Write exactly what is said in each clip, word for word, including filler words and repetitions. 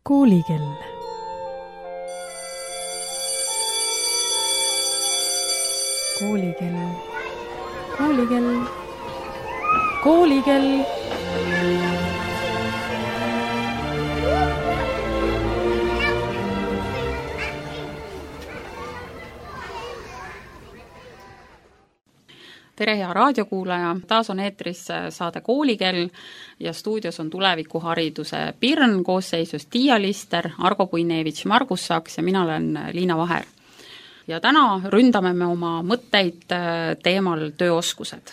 Koolikell. Koolikell. Koolikell. Koolikell. Tere, hea raadiokuulaja! Taas on eetris saade Koolikell ja stuudios on tulevikuhariduse Pirn koosseisus Tiia Lister, Argo Puinevitš, Margus Saks ja mina olen Liina Vaher. Ja täna ründame me oma mõtteid teemal tööoskused.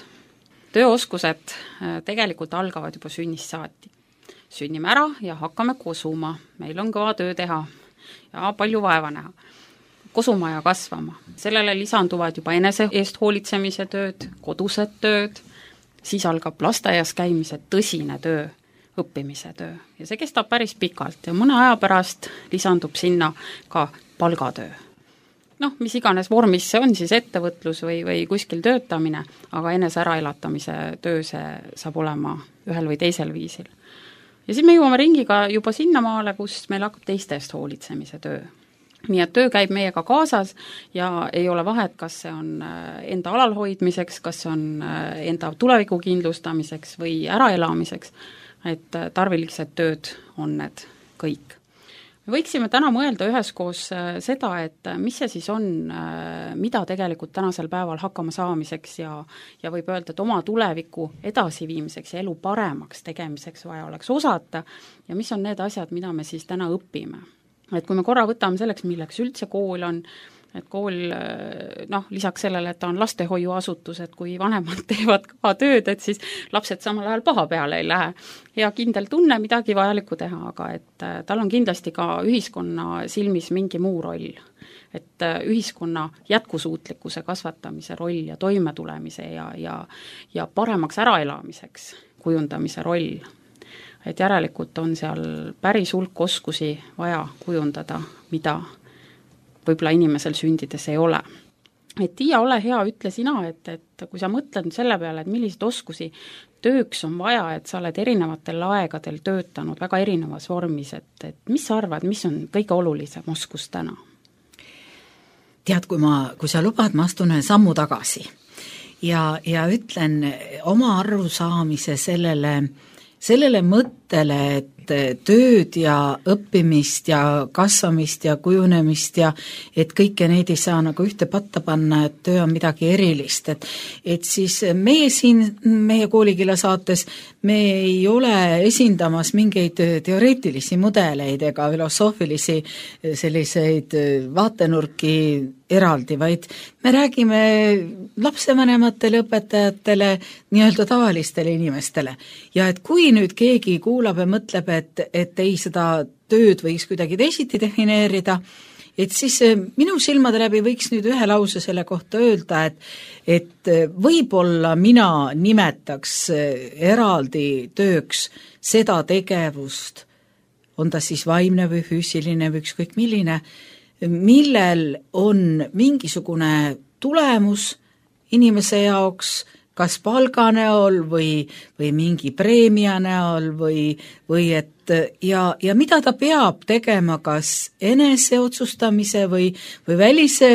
Tööoskused tegelikult algavad juba sünnist saati. Sünnime ära ja hakkame kosuma. Meil on kõva töö teha ja palju vaeva näha. Kosuma ja kasvama. Sellele lisanduvad juba enese eest hoolitsemise tööd, kodused tööd, siis algab lasteaias käimise tõsine töö, õppimise töö. Ja see kestab päris pikalt ja mõne aja pärast lisandub sinna ka palgatöö. Noh, mis iganes vormis see on, siis ettevõtlus või, või kuskil töötamine, aga enese äraelatamise töö see saab olema ühel või teisel viisil. Ja siis me jõuame ringiga juba sinna maale, kus meil hakkab teiste eest hoolitsemise töö. Nii et töö käib meiega kaasas ja ei ole vahet, kas see on enda alalhoidmiseks, kas see on enda tuleviku kindlustamiseks või äraelamiseks, et tarvilised tööd on need kõik. Me võiksime täna mõelda üheskoos seda, et mis see siis on, mida tegelikult tänasel päeval hakkama saamiseks ja, ja võib öelda, et oma tuleviku edasiviimiseks ja elu paremaks tegemiseks vaja oleks osata ja mis on need asjad, mida me siis täna õpime. Et kui me korra võtame selleks, milleks üldse kool on, et kool, noh, lisaks sellele, et ta on lastehoiuasutus, et kui vanemad teevad ka tööd, et siis lapsed samal ajal paha peale ei lähe. Ja kindel tunne midagi vajalikku teha, aga et tal on kindlasti ka ühiskonna silmis mingi muu roll. Et ühiskonna jätkusuutlikkuse kasvatamise roll ja toimetulemise ja, ja, ja paremaks äraelamiseks kujundamise roll. Et järelikult on seal päris hulk oskusi vaja kujundada, mida võib-olla inimesel sündides ei ole. Et Tiia, ole hea, ütle sina, et, et kui sa mõtled selle peale, et millised oskusi tööks on vaja, et sa oled erinevatel aegadel töötanud väga erinevas vormis, et, et mis sa arvad, mis on kõige olulisem oskus täna? Tead, kui, ma, kui sa lubad, ma astun ühe sammu tagasi ja, ja ütlen oma arusaamise sellele sellele mõttele, et tööd ja õppimist ja kasvamist ja kujunemist ja et kõike neid ei saa nagu ühte patta panna, et töö on midagi erilist. Et, et siis meie siin, meie Koolikella saates, me ei ole esindamas mingeid teoreetilisi mudeleid ega filosoofilisi selliseid vaatenurki eraldi, vaid me räägime lapsevanematele, õpetajatele, nii-öelda tavalistele inimestele. Ja et kui nüüd keegi kuulab ja mõtleb, et, et ei seda tööd võiks kuidagi teisiti defineerida, et siis minu silmade läbi võiks nüüd ühe lause selle kohta öelda, et, et võib-olla mina nimetaks eraldi tööks seda tegevust, on ta siis vaimne või füüsiline või ükskõik milline, millel on mingisugune tulemus inimese jaoks, kas palga näol või, või mingi preemia näol või, või et ja, ja mida ta peab tegema kas enese otsustamise või, või välise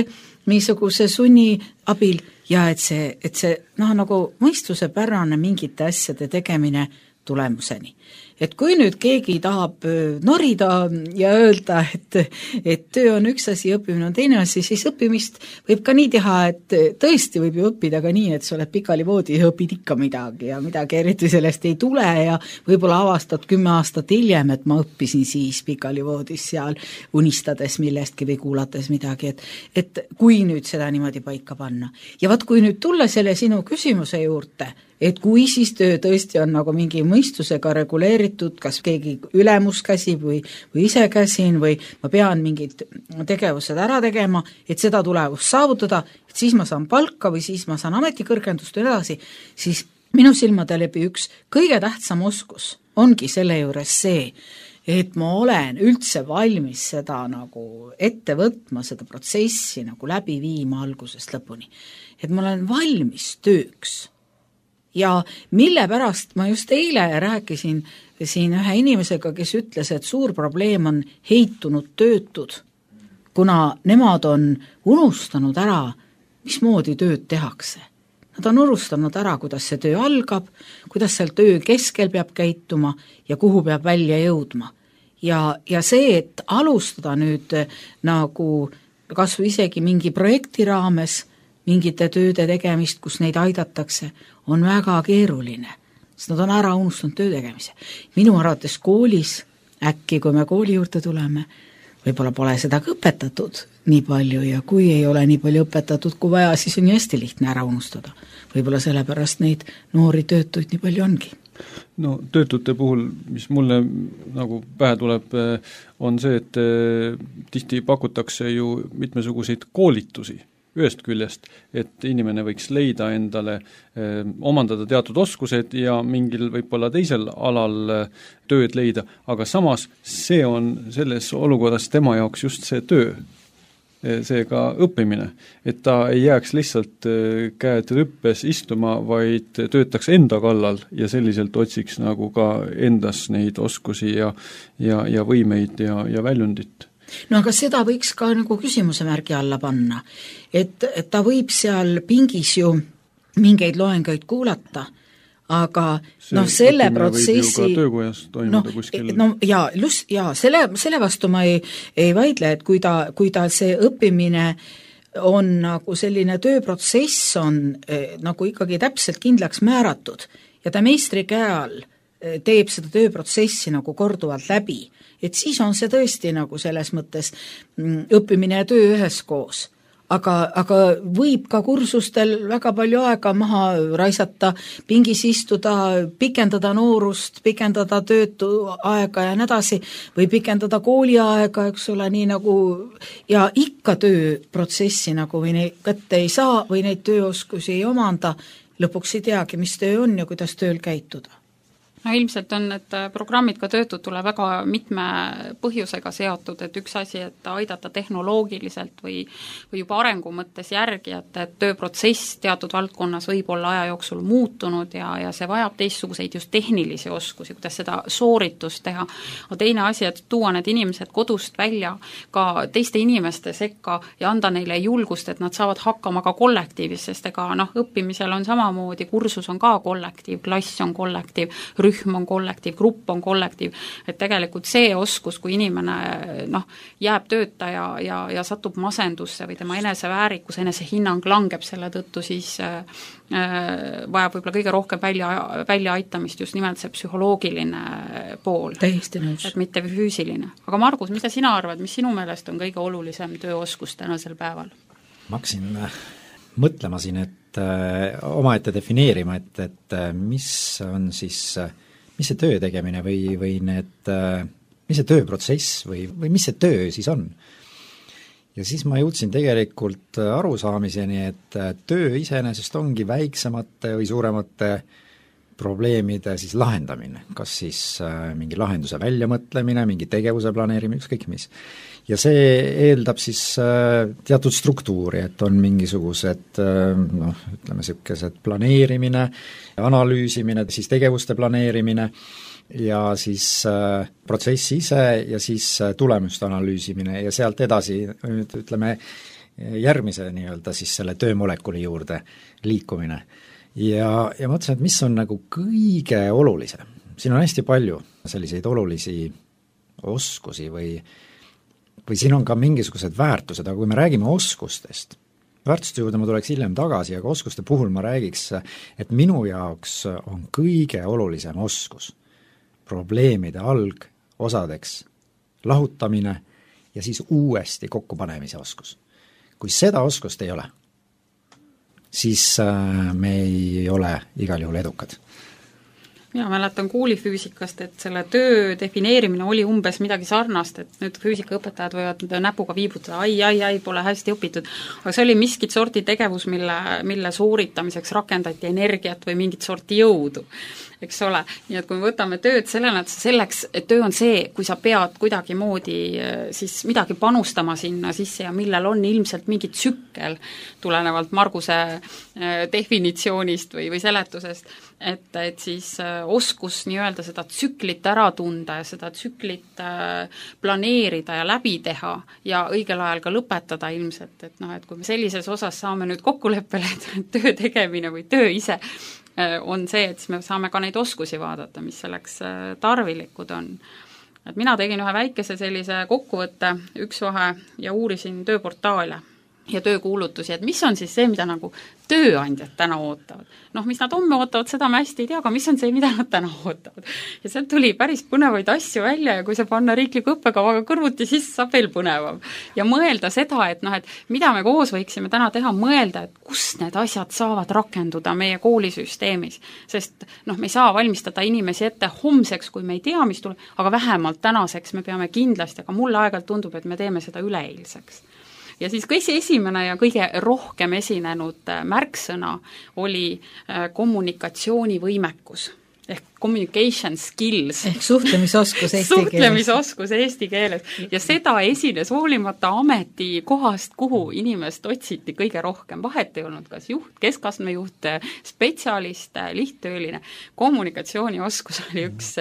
niisuguse sunni abil ja et see, et see noh, nagu mõistuse pärane mingite asjade tegemine tulemuseni. Et kui nüüd keegi tahab norida ja öelda, et, et töö on üks asi, õppimine on teine asi, siis õppimist võib ka nii teha, et tõesti võib ju õppida ka nii, et sa oled pikali voodi ja õpid ikka midagi ja midagi eriti sellest ei tule ja võib-olla avastad kümme aastat hiljem, et ma õppisin siis pikali voodis seal unistades millestki või kuulates midagi, et, et kui nüüd seda niimoodi paika panna. Ja vaat kui nüüd tulla selle sinu küsimuse juurde, et kui siis töö tõesti on nagu mingi mõistusega reguleeritud, kas keegi ülemus käsib või, või ise käsin või ma pean mingid tegevused ära tegema, et seda tulevust saavutada, et siis ma saan palka või siis ma saan ametikõrgendust edasi, siis minu silmade läbi üks kõige tähtsam oskus ongi selle juures see, et ma olen üldse valmis seda nagu ette võtma, seda protsessi nagu läbi viima algusest lõpuni. Et ma olen valmis tööks. Ja mille pärast ma just eile rääkisin siin ühe inimesega, kes ütles, et suur probleem on heitunud töötud, kuna nemad on unustanud ära, mismoodi tööd tehakse. Nad on unustanud ära, kuidas see töö algab, kuidas seal töö keskel peab käituma ja kuhu peab välja jõudma. Ja, ja see, et alustada nüüd nagu kas või isegi mingi projekti raames mingite tööde tegemist, kus neid aidatakse, on väga keeruline, sest nad on ära unustanud töö tegemise. Minu arvates koolis, äkki kui me kooli juurde tuleme, võib-olla pole seda ka õpetatud nii palju ja kui ei ole nii palju õpetatud kui vaja, siis on ju hästi lihtne ära unustada. Võib-olla sellepärast neid noori töötuid nii palju ongi. No töötute puhul, mis mulle nagu pähe tuleb, on see, et tihti pakutakse ju mitmesuguseid koolitusi ühest küljest, et inimene võiks leida endale, omandada teatud oskused ja mingil võib-olla teisel alal tööd leida, aga samas see on selles olukorras tema jaoks just see töö, seega õppimine, et ta ei jääks lihtsalt käed rüppes istuma, vaid töötaks enda kallal ja selliselt otsiks nagu ka endas neid oskusi ja, ja, ja võimeid ja, ja väljundit. No aga seda võiks ka nagu küsimuse märgi alla panna, et, et ta võib seal pingis ju mingeid loengaid kuulata, aga see noh, selle protsessi töökojas toimuda no, kuskil no jaa, just, jaa, selle, selle vastu ma ei, ei vaidle, et kui ta, kui ta see õppimine on nagu selline tööprotsess on eh, nagu ikkagi täpselt kindlaks määratud ja ta meistri käe all eh, teeb seda tööprotsessi nagu korduvalt läbi, et siis on see tõesti nagu selles mõttes mm, õppimine ja töö üheskoos. Aga, aga võib ka kursustel väga palju aega maha raisata, pingis istuda, pikendada noorust, pikendada töötu aega ja nii edasi, või pikendada kooliaega, eks ole, nii nagu, ja ikka tööprotsessi nagu või neid kätte ei saa või neid tööoskusi ei omanda, lõpuks ei teagi, mis töö on ja kuidas tööl käituda. No ilmselt on need programmid ka töötutule väga mitme põhjusega seotud, et üks asi, et aidata tehnoloogiliselt või, või juba arengu mõttes järgi, et, et tööprotsess teatud valdkonnas võib olla aja jooksul muutunud ja, ja see vajab teistsuguseid just tehnilisi oskusi, kuidas seda sooritust teha. aga teine asi, et tuua need inimesed kodust välja ka teiste inimeste sekka ja anda neile julgust, et nad saavad hakkama ka kollektiivis, sest ega noh, õppimisel on samamoodi, kursus on ka kollektiiv, klass on kollektiiv, rühm on kollektiiv, grupp on kollektiiv, et tegelikult see oskus, kui inimene noh, jääb tööta ja, ja, ja satub masendusse või tema eneseväärikus, enesehinnang langeb selle tõttu, siis äh, vajab võib-olla kõige rohkem välja, välja aitamist just nimelt see psühholoogiline pool. Täiesti nõus. Et mitte füüsiline. Aga Margus, mida sina arvad, mis sinu meelest on kõige olulisem tööoskus tänasel päeval? Ma hakkasin mõtlema siin, et omaette defineerima, et, et mis on siis, mis see töö tegemine või, või need, mis see tööprotsess või, või mis see töö siis on. Ja siis ma jõudsin tegelikult arusaamiseni, et töö iseenesest ongi väiksemate või suuremate probleemide siis lahendamine, kas siis mingi lahenduse väljamõtlemine, mingi tegevuse planeerimine, ükskõik mis. Ja see eeldab siis teatud struktuuri, et on mingisugused noh, ütleme niisugused planeerimine, analüüsimine, siis tegevuste planeerimine ja siis protsessi ise ja siis tulemuste analüüsimine ja sealt edasi ütleme järgmise nii-öelda siis selle töömolekuli juurde liikumine. Ja, ja mõtlesin, et mis on nagu kõige olulisem. Siin on hästi palju selliseid olulisi oskusi või või siin on ka mingisugused väärtused, aga kui me räägime oskustest, väärtuste juurde ma tuleks hiljem tagasi, aga oskuste puhul ma räägiks, et minu jaoks on kõige olulisem oskus probleemide algosadeks lahutamine ja siis uuesti kokkupanemise oskus. Kui seda oskust ei ole, siis me ei ole igal juhul edukad. Mina mäletan koolifüüsikast, et selle töö defineerimine oli umbes midagi sarnast, et nüüd füüsikaõpetajad võivad näpuga viibutada, ai, ai, ai, pole hästi õpitud, aga see oli miskit sorti tegevus, mille, mille sooritamiseks rakendati energiat või mingit sorti jõudu. eks ole. Nii et kui me võtame tööd sellena, et selleks, et töö on see, kui sa pead kuidagi moodi siis midagi panustama sinna sisse ja millel on ilmselt mingi tsükkel tulenevalt Marguse definitsioonist või, või seletusest, et, et siis oskus nii-öelda seda tsüklit ära tunda ja seda tsüklit planeerida ja läbi teha ja õigel ajal ka lõpetada ilmselt, et noh, et kui me sellises osas saame nüüd kokkuleppele, et töö tegemine või töö ise on see, et siis me saame ka neid oskusi vaadata, mis selleks tarvilikud on. Et mina tegin ühe väikese sellise kokkuvõtte üks-vahe ja uurisin tööportaale ja töökuulutusi, et mis on siis see, mida nagu tööandjad täna ootavad. Noh, mis nad homme ootavad, seda me hästi ei tea, aga mis on see, mida nad täna ootavad. Ja sealt tuli päris põnevaid asju välja ja kui see panna riikliku õppekavaga kõrvuti, siis saab veel põnevam. Ja mõelda seda, et noh, et mida me koos võiksime täna teha, mõelda, et kus need asjad saavad rakenduda meie koolisüsteemis. Sest noh, me ei saa valmistada inimesi ette homseks, kui me ei tea, mis tuleb, aga vähemalt tänaseks me peame kindlasti, aga mulle aeg-ajalt tundub, et me teeme seda üleeilseks. Ja siis kõige esimene ja kõige rohkem esinenud märksõna oli kommunikatsioonivõimekus ehk communication skills. Ehk suhtlemisoskus eesti keeles. Suhtlemisoskus eesti keeles. Ja seda esines hoolimata ametikohast, kuhu inimest otsiti kõige rohkem. Vahet ei olnud kas juht, keskastmejuht, spetsialist, lihttööline. Kommunikatsioonioskus oli üks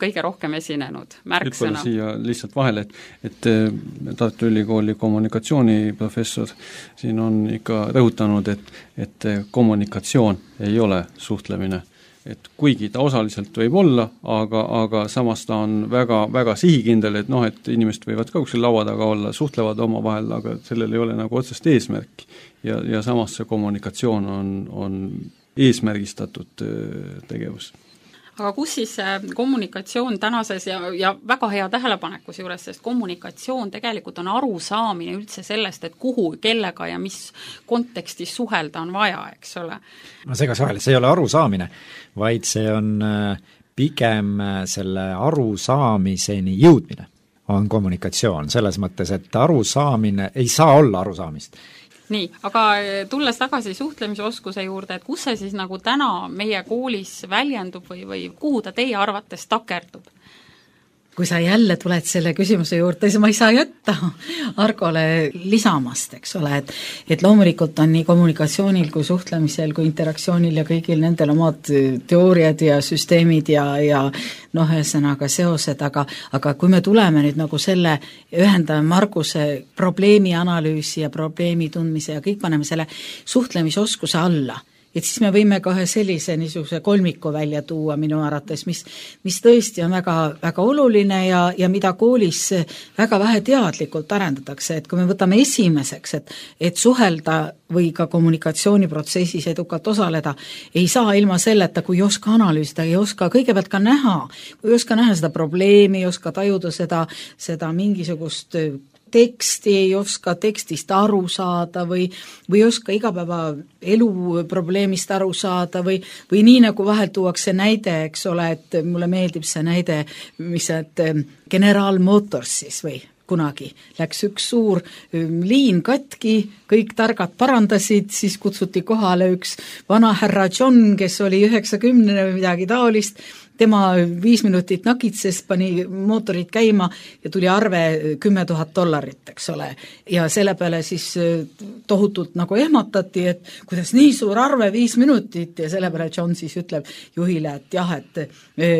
kõige rohkem esinenud märksõna. Nüüd siia lihtsalt vahele, et, et Tartu Ülikooli kommunikatsiooniprofessor siin on ikka rõhutanud, et, et kommunikatsioon ei ole suhtlemine. Et kuigi ta osaliselt võib olla, aga, aga samas ta on väga, väga sihikindel, et noh, et inimesed võivad ka kuskil laua taga olla, suhtlevad oma vahel, aga sellel ei ole nagu otsest eesmärki. Ja, ja samas see kommunikatsioon on, on eesmärgistatud tegevus. Aga kus siis kommunikatsioon tänases ja, ja väga hea tähelepanekus juures, sest kommunikatsioon tegelikult on arusaamine üldse sellest, et kuhu, kellega ja mis kontekstis suhelda on vaja, eks ole. Ma segas vahele, see ei ole arusaamine, vaid see on pigem selle arusaamiseni jõudmine on kommunikatsioon, selles mõttes, et arusaamine ei saa olla arusaamist. Nii, aga tulles tagasi suhtlemisoskuse juurde, et kus see siis nagu täna meie koolis väljendub või, või kuhu ta teie arvates takerdub? Kui sa jälle tuled selle küsimuse juurde, siis ma ei saa jätta Argole lisamast, eks ole, et, et loomulikult on nii kommunikatsioonil kui suhtlemisel kui interaktsioonil ja kõigil nendel omad teooriad ja süsteemid ja, ja noh, ühesõnaga seosed, aga, aga kui me tuleme nüüd nagu selle, ühendame Marguse probleemi analüüsi ja probleemi tundmise ja kõik paneme selle suhtlemisoskuse alla, et siis me võime ka ühe sellise niisuguse kolmiku välja tuua minu arvates, mis, mis tõesti on väga, väga oluline ja, ja mida koolis väga vähe teadlikult arendatakse, et kui me võtame esimeseks, et, et suhelda või ka kommunikatsiooniprotsessis edukalt osaleda, ei saa ilma selleta, kui ei oska analüüsida, ei oska kõigepealt ka näha, kui ei oska näha seda probleemi, ei oska tajuda seda, seda mingisugust teksti, ei oska tekstist aru saada või, või ei oska igapäeva elu probleemist aru saada või, või nii nagu vahel tuuakse näide, eks ole, et mulle meeldib see näide, mis et General Motorsis või kunagi läks üks suur liin katki, kõik targad parandasid, siis kutsuti kohale üks vana härra John, kes oli üheksakümnene või midagi taolist, tema viis minutit nakitses, pani mootorid käima ja tuli arve kümme tuhat dollarit, eks ole. Ja selle peale siis tohutult nagu ehmatati, et kuidas nii suur arve viis minutit ja selle peale John siis ütleb juhile, et jah, et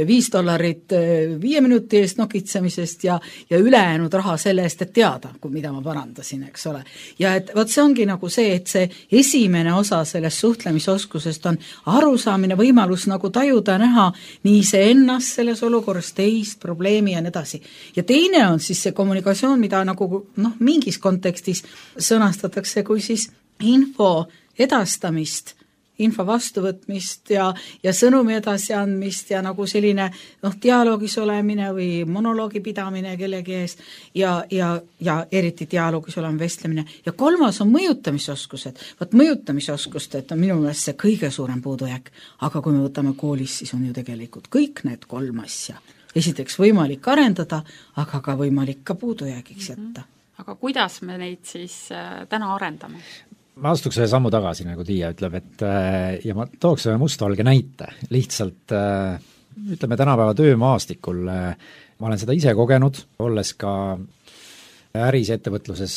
viis dollarit viie minuti eest nakitsemisest ja, ja ülejäänud raha selle eest, et teada, mida ma parandasin, eks ole. Ja et võt see ongi nagu see, et see esimene osa sellest suhtlemisoskusest on arusaamine, võimalus nagu tajuda, näha nii see ennast selles olukorras, teist, probleemi ja nii edasi. Ja teine on siis see kommunikatsioon, mida nagu noh, mingis kontekstis sõnastatakse kui siis info edastamist, info vastuvõtmist ja, ja sõnumi edasiandmist ja nagu selline noh, dialoogis olemine või monoloogi pidamine kellegi ees ja, ja, ja eriti dialoogis olema vestlemine. Ja kolmas on mõjutamisoskused. Vaat mõjutamisoskused on minu meelest see kõige suurem puudujääk, aga kui me võtame koolis, siis on ju tegelikult kõik need kolm asja. Esiteks võimalik arendada, aga ka võimalik ka puudujäägiks jätta. Aga kuidas me neid siis täna arendame? ma astuks ühe sammu tagasi, nagu Tiia ütleb, et ja ma tooks ühe mustvalge näite, lihtsalt ütleme tänapäeva töömaastikul, ma olen seda ise kogenud, olles ka äris ettevõtluses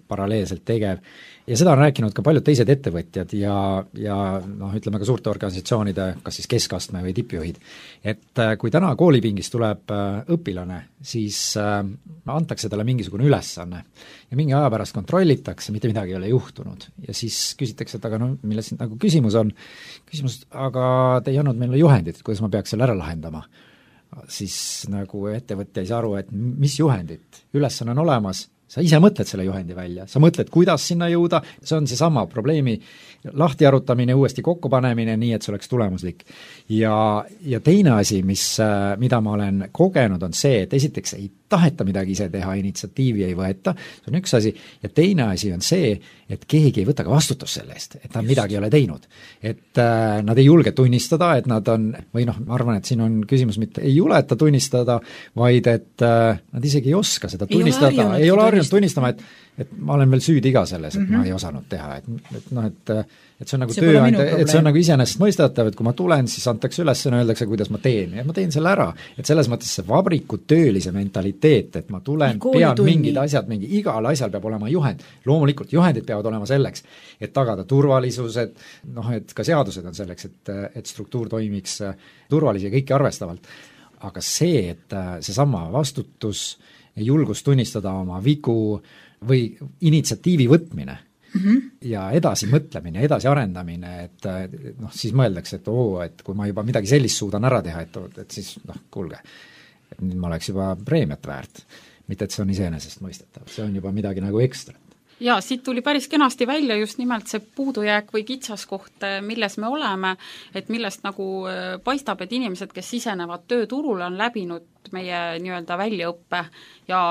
paralleelselt tegev, ja seda on rääkinud ka paljud teised ettevõtjad ja, ja noh, ütleme ka suurte organisatsioonide, kas siis keskastme või tippjuhid, et kui täna koolipingis tuleb õpilane, siis antakse talle mingisugune ülesanne ja mingi aja pärast kontrollitakse, mitte midagi ei ole juhtunud ja siis küsitakse, et aga no milles nagu küsimus on, küsimus, aga te ei andnud meile juhendit, kuidas ma peaks selle ära lahendama. Siis nagu ettevõtja ei saa aru, et mis juhendit, ülesanne on olemas, sa ise mõtled selle juhendi välja, sa mõtled, kuidas sinna jõuda, see on seesama probleemi lahti arutamine, uuesti kokkupanemine, nii et see oleks tulemuslik. Ja, ja teine asi, mis, mida ma olen kogenud, on see, et esiteks ei taheta midagi ise teha, initsiatiivi ei võeta, see on üks asi, ja teine asi on see, et keegi ei võta ka vastutust selle eest, et nad Just. midagi ei ole teinud. Et äh, nad ei julge tunnistada, et nad on, või noh, ma arvan, et siin on küsimus mitte ei juleta tunnistada, vaid et äh, nad isegi ei oska seda tunnistada, ei ole harjunud tunnistama, et, et ma olen veel süüdi iga selles, et mm -hmm. ma ei osanud teha, et, et noh, et et see on nagu tööandja, et see on nagu iseenesest mõistetav, et kui ma tulen, siis antakse üles ja öeldakse, kuidas ma teen, ja ma teen selle ära. Et selles mõttes see vabrikutöölise mentaliteet, et ma tulen, pean tunni. mingid asjad, mingi igal asjal peab olema juhend. Loomulikult juhendid peavad olema selleks, et tagada turvalisus, et noh, et ka seadused on selleks, et, et struktuur toimiks turvalisi ja kõiki arvestavalt. Aga see, et seesama vastutus, julgus tunnistada oma vigu või initsiatiivi võtmine, Mm-hmm. ja edasi mõtlemine, edasi arendamine, et noh, siis mõeldakse, et oo, et kui ma juba midagi sellist suudan ära teha, et, et siis noh, kuulge, et nüüd ma oleks juba preemiat väärt. Mitte, et see on iseenesest mõistetav, see on juba midagi nagu ekstra. Ja siit tuli päris kenasti välja just nimelt see puudujääk või kitsaskoht, milles me oleme, et millest nagu paistab, et inimesed, kes sisenevad tööturule, on läbinud meie nii-öelda väljaõppe ja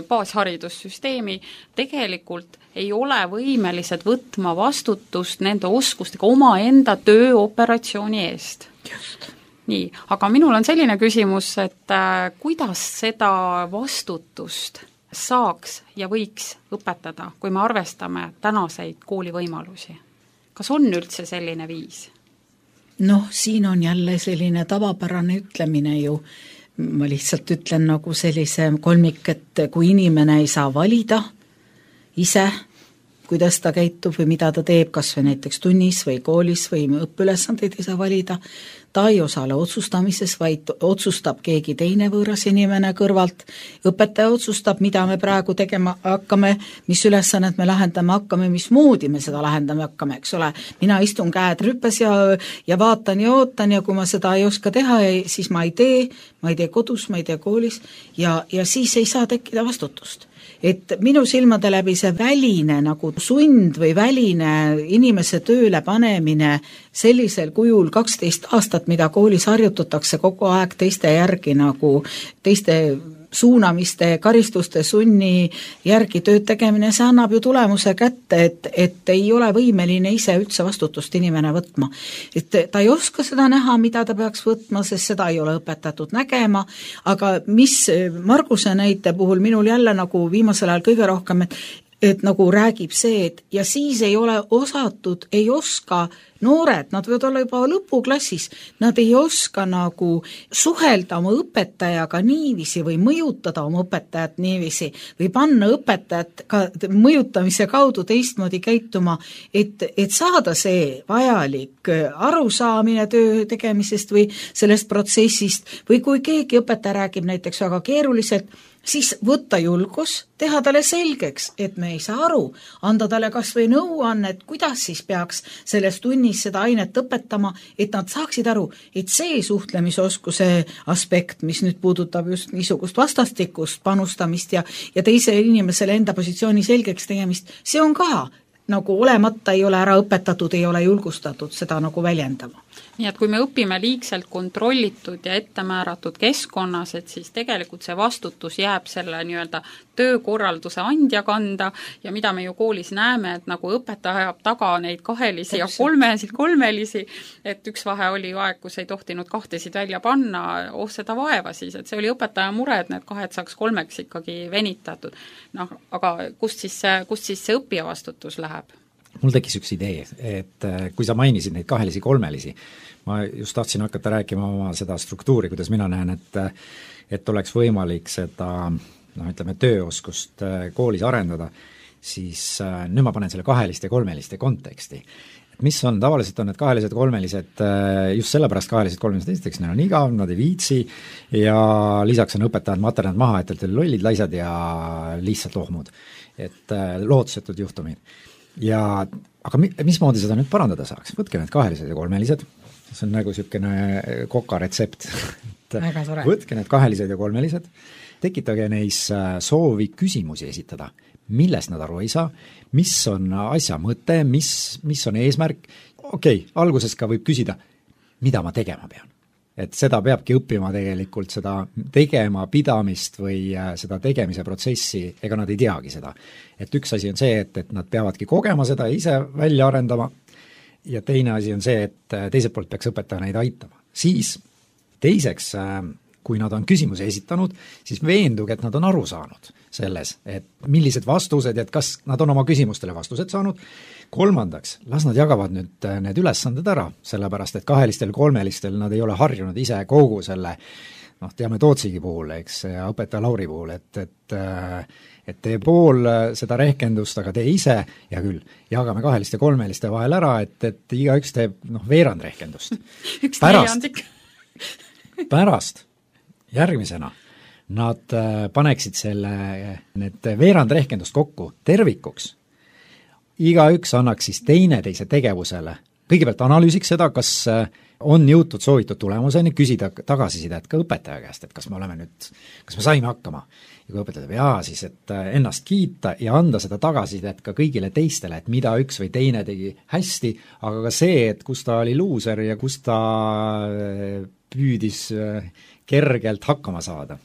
baasharidussüsteemi, tegelikult ei ole võimelised võtma vastutust nende oskustega omaenda tööoperatsiooni eest. Just. Nii, aga minul on selline küsimus, et äh, kuidas seda vastutust saaks ja võiks õpetada, kui me arvestame tänaseid koolivõimalusi? Kas on üldse selline viis? Noh, siin on jälle selline tavapärane ütlemine ju, ma lihtsalt ütlen nagu sellise kolmik, et kui inimene ei saa valida ise, kuidas ta käitub või mida ta teeb, kas või näiteks tunnis või koolis või õppeülesandeid ei saa valida, ta ei osale otsustamises, vaid otsustab keegi teine võõras inimene kõrvalt, õpetaja otsustab, mida me praegu tegema hakkame, mis ülesannet me lahendame hakkame, mismoodi me seda lahendame hakkame, eks ole, mina istun käed rüppes ja, ja vaatan ja ootan ja kui ma seda ei oska teha, siis ma ei tee, ma ei tee kodus, ma ei tee koolis ja, ja siis ei saa tekkida vastutust. Et minu silmade läbi see väline nagu sund või väline inimese tööle panemine sellisel kujul kaksteist aastat, mida koolis harjutatakse kogu aeg teiste järgi nagu teiste suunamiste, karistuste, sunni järgi tööd tegemine, see annab ju tulemuse kätte, et, et ei ole võimeline ise üldse vastutust inimene võtma. Et ta ei oska seda näha, mida ta peaks võtma, sest seda ei ole õpetatud nägema, aga mis Marguse näite puhul minul jälle nagu viimasel ajal kõige rohkem, et et nagu räägib see, et ja siis ei ole osatud, ei oska noored, nad võivad olla juba lõpuklassis, nad ei oska nagu suhelda oma õpetajaga niiviisi või mõjutada oma õpetajat niiviisi või panna õpetajat ka mõjutamise kaudu teistmoodi käituma, et, et saada see vajalik arusaamine töö tegemisest või sellest protsessist või kui keegi õpetaja räägib näiteks väga keeruliselt, siis võtta julgus, teha talle selgeks, et me ei saa aru, anda talle kas või nõuannet, kuidas siis peaks selles tunnis seda ainet õpetama, et nad saaksid aru, et see suhtlemisoskuse aspekt, mis nüüd puudutab just niisugust vastastikust panustamist ja, ja teisele inimesele enda positsiooni selgeks tegemist, see on ka nagu olemata ei ole ära õpetatud, ei ole julgustatud seda nagu väljendama. Nii et kui me õpime liigselt kontrollitud ja ettemääratud keskkonnas, et siis tegelikult see vastutus jääb selle nii-öelda töökorralduse andja kanda ja mida me ju koolis näeme, et nagu õpetaja ajab taga neid kahelisi ja kolmesid kolmelisi, et üks vahe oli ju aeg, kus ei tohtinud kahtesid välja panna, oh seda vaeva siis, et see oli õpetaja mure, et need kahed saaks kolmeks ikkagi venitatud. Noh, aga kust siis see, kust siis see õppija vastutus läheb? mul tekkis üks idee, et kui sa mainisid neid kahelisi, kolmelisi, ma just tahtsin hakata rääkima oma seda struktuuri, kuidas mina näen, et et oleks võimalik seda noh, ütleme, tööoskust koolis arendada, siis nüüd ma panen selle kaheliste ja kolmeliste konteksti. Et mis on, tavaliselt on need kahelised ja kolmelised, just sellepärast kahelised kolmelised, esiteks neil on igav, nad ei viitsi ja lisaks on õpetajad maternad maha, et teil lollid, laisad ja lihtsalt lohmud. Et lootusetud juhtumid. Ja aga mi, mismoodi seda nüüd parandada saaks? Võtke need kahelised ja kolmelised, see on nagu niisugune koka retsept. Võtke need kahelised ja kolmelised, tekitage neis soovi küsimusi esitada, millest nad aru ei saa, mis on asja mõte, mis, mis on eesmärk, okei okay,, alguses ka võib küsida, mida ma tegema pean. Et seda peabki õppima tegelikult, seda tegema pidamist või seda tegemise protsessi, ega nad ei teagi seda. Et üks asi on see, et, et nad peavadki kogema seda ise välja arendama ja teine asi on see, et teiselt poolt peaks õpetaja neid aitama. Siis teiseks, kui nad on küsimuse esitanud, siis veenduge, et nad on aru saanud selles, et millised vastused, et kas nad on oma küsimustele vastused saanud. Kolmandaks, las nad jagavad nüüd need ülesanded ära, sellepärast et kahelistel, kolmelistel nad ei ole harjunud ise kogu selle, noh, teame Tootsigi puhul, eks, ja õpetaja Lauri puhul, et, et et tee pool seda rehkendust, aga tee ise, ja küll, jagame kaheliste kolmeliste vahel ära, et, et igaüks teeb, noh, veerand rehkendust. Üks neljandik. Pärast, järgmisena, nad paneksid selle, need veerand rehkendust kokku tervikuks, igaüks annaks siis teine teise tegevusele, kõigepealt analüüsiks seda, kas on jõutud soovitud tulemuseni, küsida tagasisidet ka õpetaja käest, et kas me oleme nüüd, kas me saime hakkama. Ja kui õpetaja teeb jaa, siis et ennast kiita ja anda seda tagasisidet ka kõigile teistele, et mida üks või teine tegi hästi, aga ka see, et kus ta oli luuser ja kus ta püüdis kergelt hakkama saada.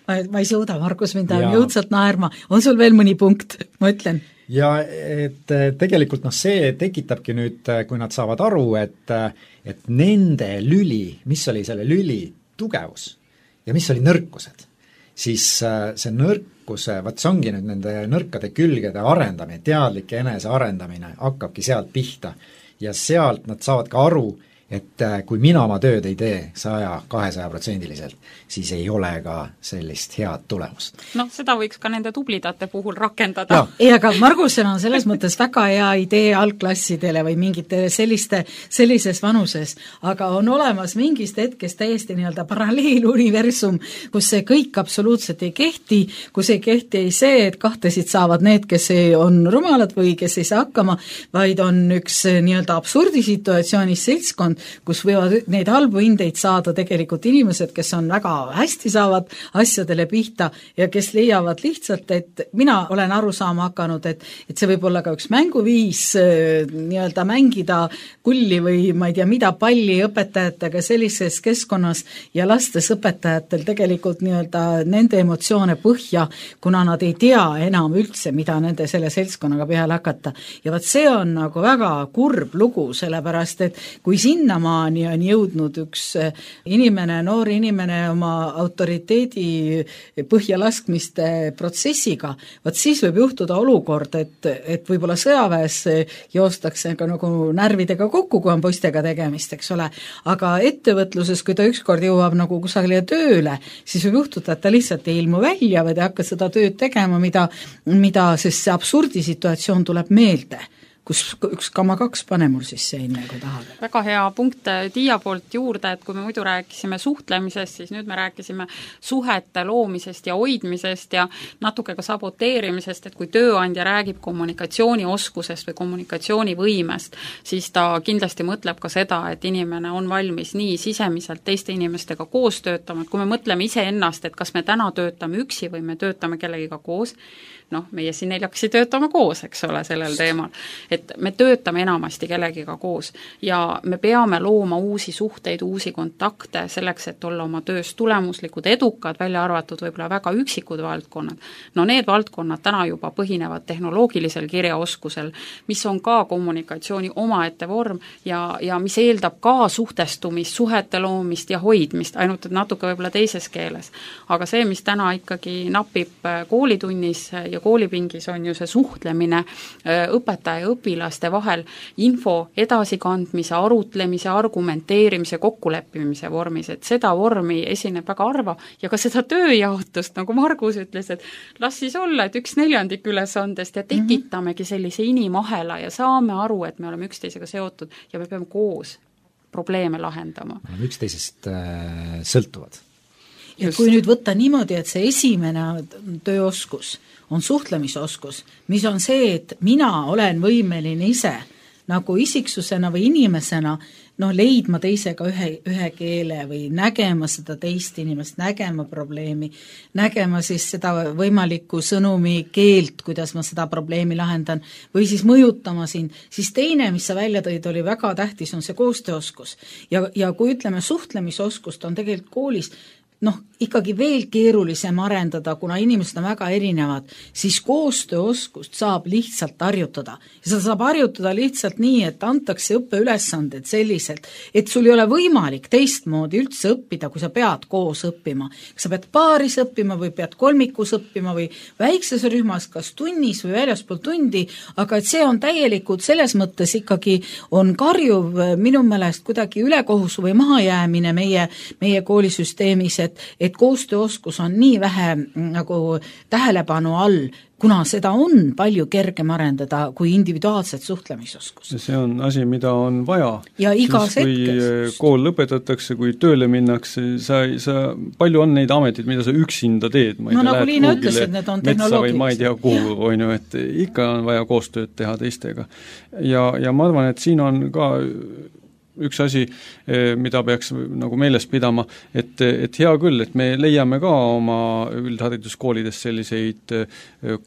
Ma, ma ei suuda, Markus, mind on jõudsalt naerma. On sul veel mõni punkt, ma ütlen? Ja et tegelikult noh, see tekitabki nüüd, kui nad saavad aru, et, et nende lüli, mis oli selle lüli tugevus ja mis oli nõrkused, siis see nõrkuse, vaat see ongi nüüd nende nõrkade külgede arendamine, teadlike enese arendamine hakkabki sealt pihta ja sealt nad saavad ka aru, et kui mina oma tööd ei tee saja, kahesaja protsendiliselt, siis ei ole ka sellist head tulemust. No seda võiks ka nende tublidate puhul rakendada. Ei, aga Margusel on selles mõttes väga hea idee algklassidele või mingite selliste, sellises vanuses, aga on olemas mingist hetkest täiesti nii-öelda paralleeluniversum, kus see kõik absoluutselt ei kehti, kus ei kehti ei see, et kahtesid saavad need, kes on rumalad või kes ei saa hakkama, vaid on üks nii-öelda absurdisituatsioonis seltskond, kus võivad neid halbu hindeid saada tegelikult inimesed, kes on väga hästi saavad asjadele pihta ja kes leiavad lihtsalt, et mina olen aru saama hakanud, et, et see võib olla ka üks mänguviis nii-öelda mängida kulli või ma ei tea mida palli õpetajatega sellises keskkonnas ja lastes õpetajatel tegelikult nii-öelda nende emotsioone põhja, kuna nad ei tea enam üldse, mida nende selle seltskonnaga peale hakata. Ja vaat see on nagu väga kurb lugu, sellepärast et kui sinna maani on jõudnud üks inimene, noor inimene oma autoriteedi põhjalaskmiste protsessiga, vaat siis võib juhtuda olukord, et, et võib-olla sõjaväes joostakse ka nagu närvidega kokku, kui on poistega tegemist, eks ole, aga ettevõtluses, kui ta ükskord jõuab nagu kusagile tööle, siis võib juhtuda, et ta lihtsalt ei ilmu välja või ta hakka seda tööd tegema, mida, mida sest see absurdisituatsioon tuleb meelde. Kus üks kama kaks pane mul siis see enne, kui tahad. Väga hea punkt Tiia poolt juurde, et kui me muidu rääkisime suhtlemisest, siis nüüd me rääkisime suhete loomisest ja hoidmisest ja natuke ka saboteerimisest, et kui tööandja räägib kommunikatsioonioskusest või kommunikatsioonivõimest, siis ta kindlasti mõtleb ka seda, et inimene on valmis nii sisemiselt teiste inimestega koos töötama, et kui me mõtleme iseennast, et kas me täna töötame üksi või me töötame kellegiga koos, noh, meie siin neljakesi töötame koos, eks ole, sellel teemal. Et me töötame enamasti kellegiga koos ja me peame looma uusi suhteid, uusi kontakte selleks, et olla oma töös tulemuslikud, edukad, välja arvatud võib-olla väga üksikud valdkonnad. No need valdkonnad täna juba põhinevad tehnoloogilisel kirjaoskusel, mis on ka kommunikatsiooni omaette vorm ja, ja mis eeldab ka suhtestumist, suhete loomist ja hoidmist, ainult et natuke võib-olla teises keeles. Aga see, mis täna ikkagi napib koolitunnis ja koolipingis on ju see suhtlemine õpetaja ja õpilaste vahel info edasikandmise, arutlemise, argumenteerimise, kokkuleppimise vormis, et seda vormi esineb väga harva ja ka seda tööjaotust, nagu Margus ütles, et las siis olla, et üks neljandik ülesandest ja tekitamegi sellise inimahela ja saame aru, et me oleme üksteisega seotud ja me peame koos probleeme lahendama. Me oleme üksteisest äh, sõltuvad. Ja Just. Kui nüüd võtta niimoodi, et see esimene tööoskus on suhtlemisoskus, mis on see, et mina olen võimeline ise nagu isiksusena või inimesena noh, leidma teisega ühe, ühe keele või nägema seda teist inimest, nägema probleemi, nägema siis seda võimalikku sõnumi keelt, kuidas ma seda probleemi lahendan, või siis mõjutama sind, siis teine, mis sa välja tõid, oli väga tähtis, on see koostööoskus. Ja, ja kui ütleme, suhtlemisoskust on tegelikult koolis noh, ikkagi veel keerulisem arendada, kuna inimesed on väga erinevad, siis koostööoskust saab lihtsalt harjutada. Ja seda saab harjutada lihtsalt nii, et antakse õppeülesanded selliselt, et sul ei ole võimalik teistmoodi üldse õppida, kui sa pead koos õppima. Kas sa pead paaris õppima või pead kolmikus õppima või väikses rühmas, kas tunnis või väljaspool tundi, aga et see on täielikult selles mõttes ikkagi on karjuv minu meelest kuidagi ülekohus või mahajäämine meie, meie koolisüsteemis, et et koostööoskus on nii vähe nagu tähelepanu all, kuna seda on palju kergem arendada kui individuaalset suhtlemisoskus. See on asi, mida on vaja. Ja igas siis, kui hetkes. Kool lõpetatakse, kui tööle minnakse, sa, sa, palju on neid ameteid, mida sa üksinda teed. Ma no tea, nagu Liina ütles, et need on tehnoloogilised. Või ma ei tea kuhu, on ju, et ikka on vaja koostööd teha teistega. Ja, ja ma arvan, et siin on ka üks asi, mida peaks nagu meeles pidama, et, et hea küll, et me leiame ka oma üldhariduskoolides selliseid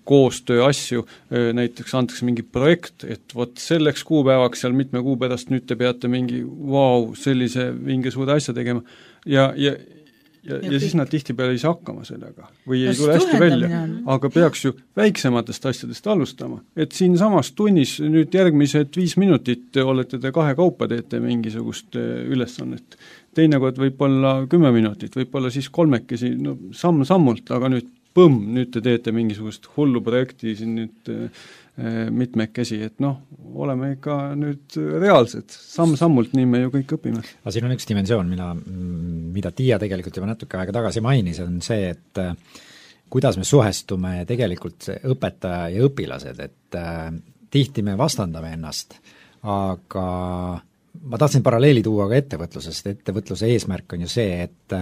koostöö asju, näiteks antakse mingi projekt, et vot selleks kuupäevaks seal mitme kuu pärast nüüd te peate mingi vau, wow, sellise mingi suure asja tegema ja, ja ja, ja, ja siis nad tihtipeale ei saa hakkama sellega või ei tule hästi välja, aga peaks ju väiksematest asjadest alustama. Et siin samas tunnis nüüd järgmised viis minutit olete te kahe kaupa teete mingisugust ülesannet. Teinekord võib olla kümme minutit, võib olla siis kolmekesi, no samm-sammult, aga nüüd põmm, nüüd te teete mingisugust hullu projekti siin nüüd mitmekesi, et noh, oleme ikka nüüd reaalsed, samm-sammult, nii me ju kõik õpime. Aga siin on üks dimensioon, mida, mida Tiia tegelikult juba natuke aega tagasi mainis, on see, et kuidas me suhestume tegelikult õpetaja ja õpilased, et äh, tihti me vastandame ennast, aga ma tahtsin paralleeli tuua ka ettevõtlusest, ettevõtluse eesmärk on ju see, et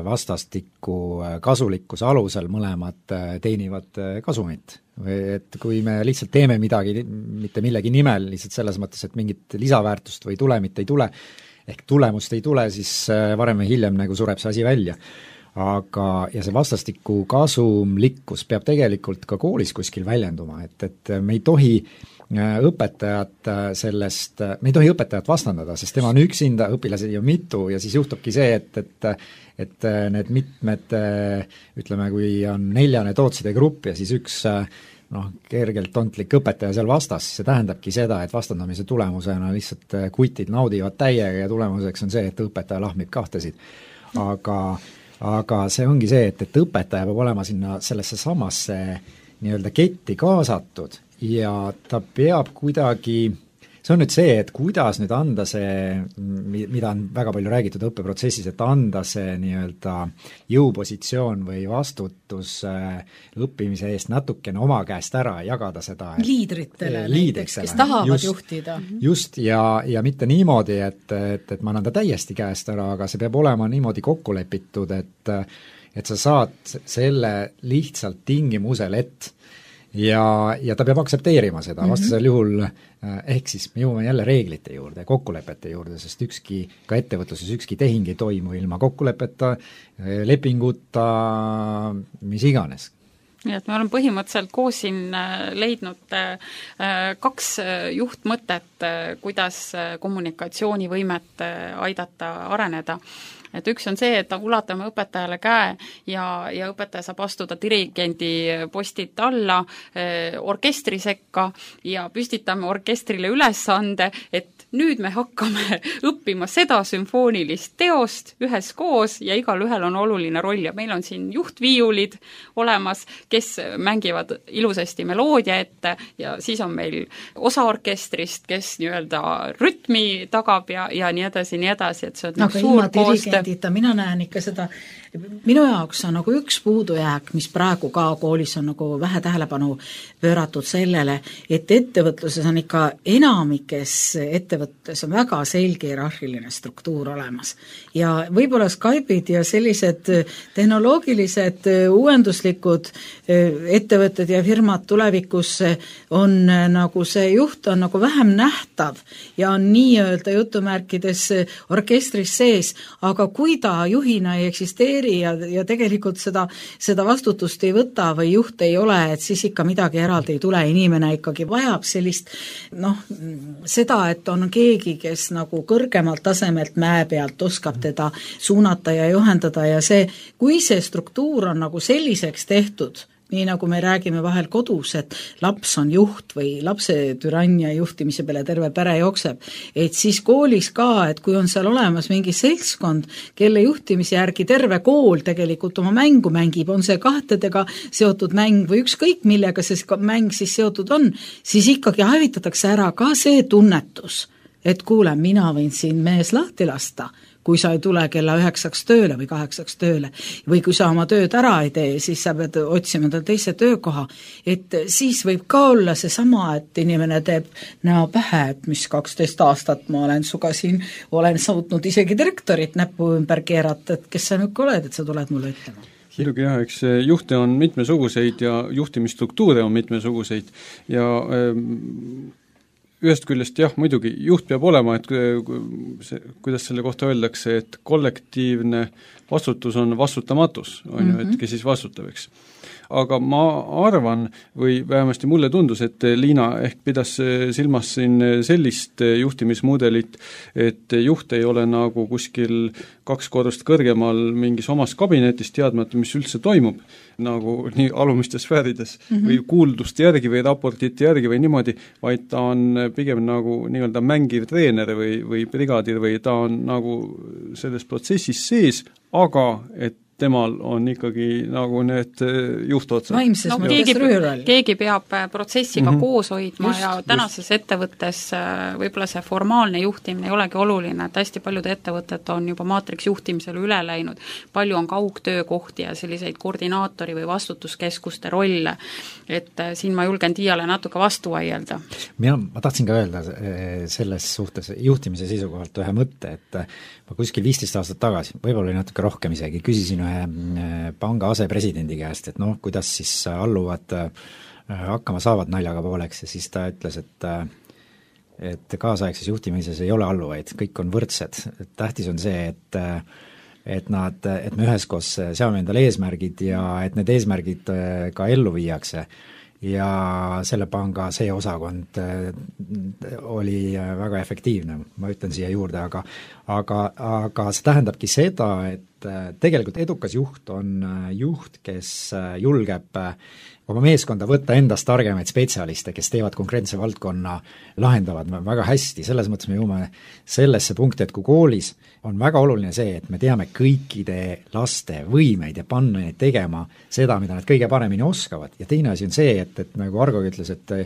vastastikku kasulikkuse alusel mõlemad teenivad kasumit. Või et kui me lihtsalt teeme midagi mitte millegi nimel, lihtsalt selles mõttes, et mingit lisaväärtust või tulemit ei tule, ehk tulemust ei tule, siis varem või hiljem nagu sureb see asi välja. Aga, ja see vastastikku kasumlikkus peab tegelikult ka koolis kuskil väljenduma, et, et me ei tohi õpetajat sellest, me ei tohi õpetajat vastandada, sest tema on üksinda, õpilasi on mitu ja siis juhtubki see, et, et et need mitmed, ütleme, kui on neljane tootside grupp ja siis üks noh, kergelt tontlik õpetaja seal vastas, siis see tähendabki seda, et vastandamise tulemusena lihtsalt kutid naudivad täiega ja tulemuseks on see, et õpetaja lahmib kahtesid. Aga, aga see ongi see, et, et õpetaja peab olema sinna sellesse samasse nii-öelda ketti kaasatud ja ta peab kuidagi, see on nüüd see, et kuidas nüüd anda see, mida on väga palju räägitud õppeprotsessis, et anda see nii-öelda jõupositsioon või vastutus õppimise eest natukene oma käest ära, jagada seda liidritele näiteks, kes tahavad just, juhtida. Just, ja, ja mitte niimoodi, et, et, et ma annan ta täiesti käest ära, aga see peab olema niimoodi kokku lepitud, et, et sa saad selle lihtsalt tingimusel, et ja, ja ta peab aktsepteerima seda, vastasel juhul ehk siis me jõuame jälle reeglite juurde, kokkulepete juurde, sest ükski, ka ettevõtluses ükski tehing ei toimu ilma kokkulepeta, lepinguta, mis iganes. Nii et me oleme põhimõtteliselt koos siin leidnud kaks juhtmõtet, kuidas kommunikatsioonivõimet aidata areneda. et üks on see, et ulatame õpetajale käe ja, ja õpetaja saab astuda dirigendi postilt alla eh, orkestri sekka ja püstitame orkestrile ülesande, et nüüd me hakkame õppima seda sümfoonilist teost üheskoos ja igal ühel on oluline roll ja meil on siin juhtviiulid olemas, kes mängivad ilusasti meloodia ette ja siis on meil osa orkestrist, kes nii-öelda rütmi tagab ja, ja nii edasi, nii edasi, et see on aga suur ilma dirigendita, mina näen ikka seda, minu jaoks on nagu üks puudujääk, mis praegu ka koolis on nagu vähe tähelepanu pööratud sellele, et ettevõtluses on ikka enamikes ettevõttes on väga selge hierarhiline struktuur olemas. Ja võib-olla Skype'id ja sellised tehnoloogilised uuenduslikud ettevõtted ja firmad tulevikus on nagu see juht on nagu vähem nähtav ja on nii-öelda jutumärkides orkestris sees, aga kui ta juhina ei eksisteeri ja, ja tegelikult seda, seda vastutust ei võta või juht ei ole, et siis ikka midagi eraldi ei tule, inimene ikkagi vajab sellist noh, seda, et on keegi, kes nagu kõrgemalt tasemelt mäe pealt oskab teda suunata ja juhendada ja see, kui see struktuur on nagu selliseks tehtud, nii nagu me räägime vahel kodus, et laps on juht või lapse türannia juhtimise peale terve pere jookseb, et siis koolis ka, et kui on seal olemas mingi seltskond, kelle juhtimise järgi terve kool tegelikult oma mängu mängib, on see kahtedega seotud mäng või ükskõik millega see mäng siis seotud on, siis ikkagi hävitatakse ära ka see tunnetus, et kuule, mina võin siin mees lahti lasta, kui sa ei tule kella üheksaks tööle või kaheksaks tööle või kui sa oma tööd ära ei tee, siis sa pead otsima tal teise töökoha, et siis võib ka olla seesama, et inimene teeb näo pähe, et mis kaksteist aastat ma olen suga siin, olen suutnud isegi direktorit näppu ümber keerata, et kes sa nüüd oled, et sa tuled mulle ütlema. Muidugi jah, eks juhte on mitmesuguseid ja juhtimisstruktuure on mitmesuguseid ja ähm, ühest küljest jah, muidugi juht peab olema, et see, kuidas selle kohta öeldakse, et kollektiivne vastutus on vastutamatus, on ju, et kes siis vastutab, eks. Aga ma arvan, või vähemasti mulle tundus, et Liina ehk pidas silmas siin sellist juhtimismudelit, et juht ei ole nagu kuskil kaks korrust kõrgemal mingis omas kabinetis teadmata, mis üldse toimub, nagu nii alumistes sfäärides mm -hmm. või kuulduste järgi või raportite järgi või niimoodi, vaid ta on pigem nagu nii-öelda mängiv treener või, või brigadir või ta on nagu selles protsessis sees, aga et temal on ikkagi nagu need juhtotsad. Vaimses no, mõttes keegi, rüürall. keegi peab protsessiga mm -hmm. koos hoidma just, ja tänases just. ettevõttes võib-olla see formaalne juhtimine ei olegi oluline, et hästi paljud ettevõtted on juba maatriksjuhtimisele üle läinud. Palju on kaugtöökohti ja selliseid koordinaatori või vastutuskeskuste rolle, et siin ma julgen Tiiale natuke vastu vaielda. Mina, ma tahtsin ka öelda selles suhtes juhtimise seisukohalt ühe mõtte, et ma kuskil viisteist aastat tagasi, võib-olla oli natuke rohkem isegi, küsisin ühe panga asepresidendi käest, et noh, kuidas siis alluvad hakkama saavad naljaga pooleks ja siis ta ütles, et et kaasaegses juhtimises ei ole alluvaid, kõik on võrdsed, tähtis on see, et et nad, et me üheskoos seame endale eesmärgid ja et need eesmärgid ka ellu viiakse ja selle panga see osakond oli väga efektiivne, ma ütlen siia juurde, aga aga, aga see tähendabki seda, et tegelikult edukas juht on juht, kes julgeb oma meeskonda võtta endast targemaid spetsialiste, kes teevad konkreetse valdkonna, lahendavad väga hästi, selles mõttes me jõuame sellesse punkti, et kui koolis on väga oluline see, et me teame kõikide laste võimeid ja panna neid tegema seda, mida nad kõige paremini oskavad ja teine asi on see, et, et nagu Argo ütles, et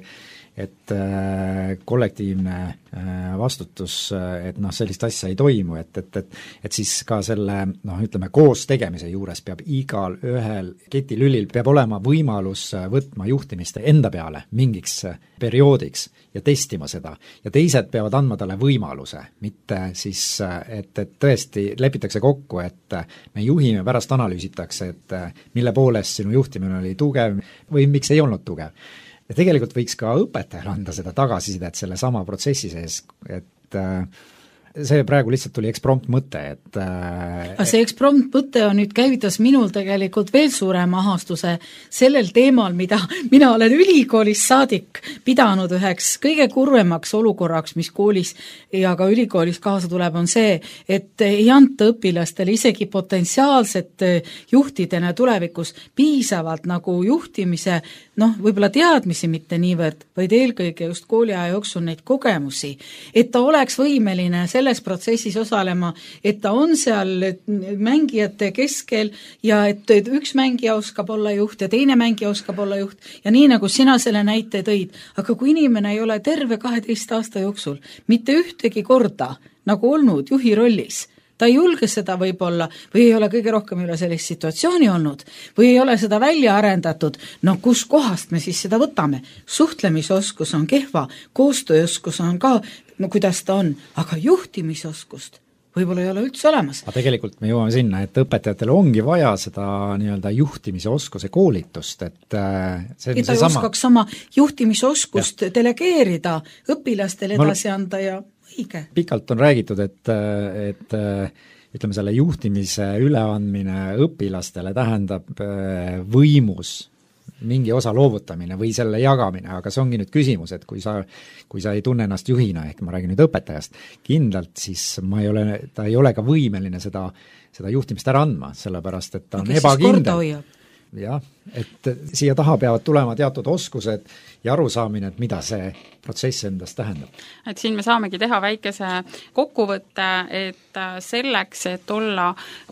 et äh, kollektiivne äh, vastutus, et noh, sellist asja ei toimu, et, et, et et siis ka selle, noh, ütleme, koos tegemise juures peab igal ühel ketilülil peab olema võimalus võtma juhtimist enda peale mingiks perioodiks ja testima seda. Ja teised peavad andma talle võimaluse, mitte siis, et, et tõesti lepitakse kokku, et me juhime, pärast analüüsitakse, et mille poolest sinu juhtimine oli tugev või miks ei olnud tugev. Ja tegelikult võiks ka õpetajal anda seda tagasisidet selle sama protsessi sees, et see praegu lihtsalt tuli eksprompt mõte, et äh, see eksprompt mõte on nüüd käivitas minul tegelikult veel suurema ahastuse sellel teemal, mida mina olen ülikoolist saadik pidanud üheks kõige kurvemaks olukorraks, mis koolis ja ka ülikoolis kaasa tuleb, on see, et ei anta õpilastele isegi potentsiaalsete juhtidena tulevikus piisavalt nagu juhtimise, noh, võib-olla teadmisi mitte niivõrd, vaid eelkõige just kooliaja jooksul neid kogemusi, et ta oleks võimeline selles protsessis osalema, et ta on seal mängijate keskel ja et, et üks mängija oskab olla juht ja teine mängija oskab olla juht ja nii, nagu sina selle näite tõid, aga kui inimene ei ole terve kaheteist aasta jooksul mitte ühtegi korda nagu olnud juhi rollis, ta ei julge seda võib-olla või ei ole kõige rohkem üle sellist situatsiooni olnud või ei ole seda välja arendatud, no kus kohast me siis seda võtame? Suhtlemisoskus on kehva, koostööoskus on ka, no kuidas ta on, aga juhtimisoskust võib-olla ei ole üldse olemas. aga tegelikult me jõuame sinna, et õpetajatel ongi vaja seda nii-öelda juhtimise oskuse koolitust, et see on et ta see sama... oskaks sama juhtimisoskust ja. delegeerida, õpilastele edasi anda ja õige. Pikalt on räägitud, et, et ütleme, selle juhtimise üleandmine õpilastele tähendab võimus mingi osa loovutamine või selle jagamine, aga see ongi nüüd küsimus, et kui sa, kui sa ei tunne ennast juhina, ehk ma räägin nüüd õpetajast, kindlalt siis ma ei ole, ta ei ole ka võimeline seda, seda juhtimist ära andma, sellepärast et ta on ebakindel. Jah, et siia taha peavad tulema teatud oskused ja arusaamine, et mida see protsess endast tähendab. Et siin me saamegi teha väikese kokkuvõtte, et selleks, et olla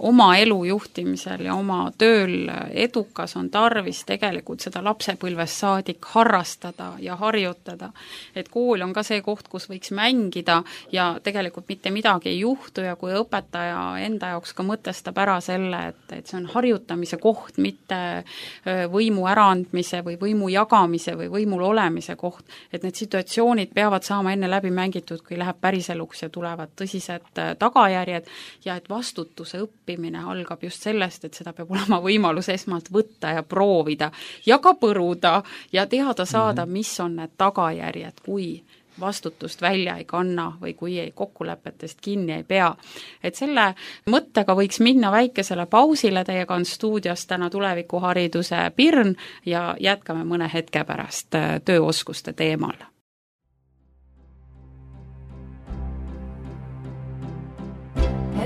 oma elu juhtimisel ja oma tööl edukas, on tarvis tegelikult seda lapsepõlvest saadik harrastada ja harjutada. Et kool on ka see koht, kus võiks mängida ja tegelikult mitte midagi ei juhtu ja kui õpetaja enda jaoks ka mõtestab ära selle, et, et see on harjutamise koht, mitte võimu äraandmise või võimu jagamise või võimul olemise koht, et need situatsioonid peavad saama enne läbi mängitud, kui läheb päriseluks ja tulevad tõsised tagajärjed ja et vastutuse õppimine algab just sellest, et seda peab olema võimalus esmalt võtta ja proovida ja ka põruda ja teada saada, mis on need tagajärjed, kui vastutust välja ei kanna või kui ei kokkulepetest kinni ei pea. Et selle mõttega võiks minna väikesele pausile, teiega on stuudios täna tulevikuhariduse Pirn ja jätkame mõne hetke pärast tööoskuste teemal.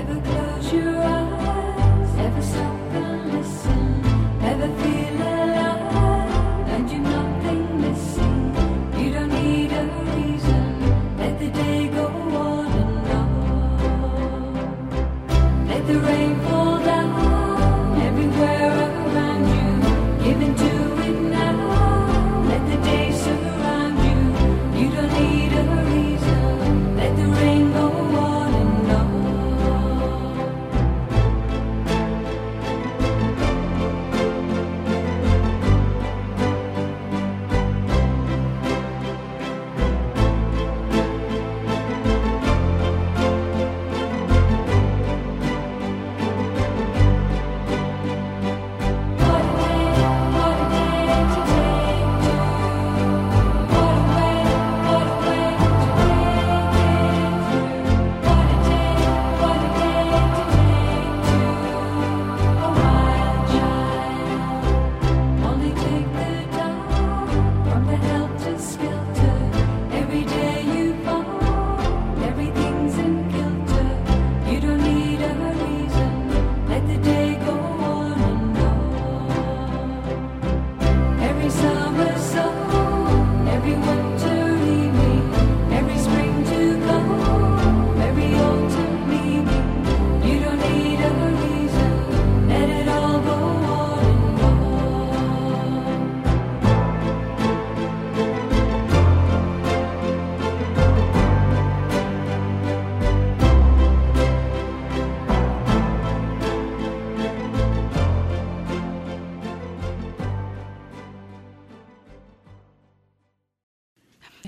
Ever close your eyes, ever stop and listen, ever feel alive and you're nothing missing, you don't need a the day go on and on. Let the rain fall down everywhere around you. Give into it now. Let the day surround you. You don't need a reason. Let the rain go on and on.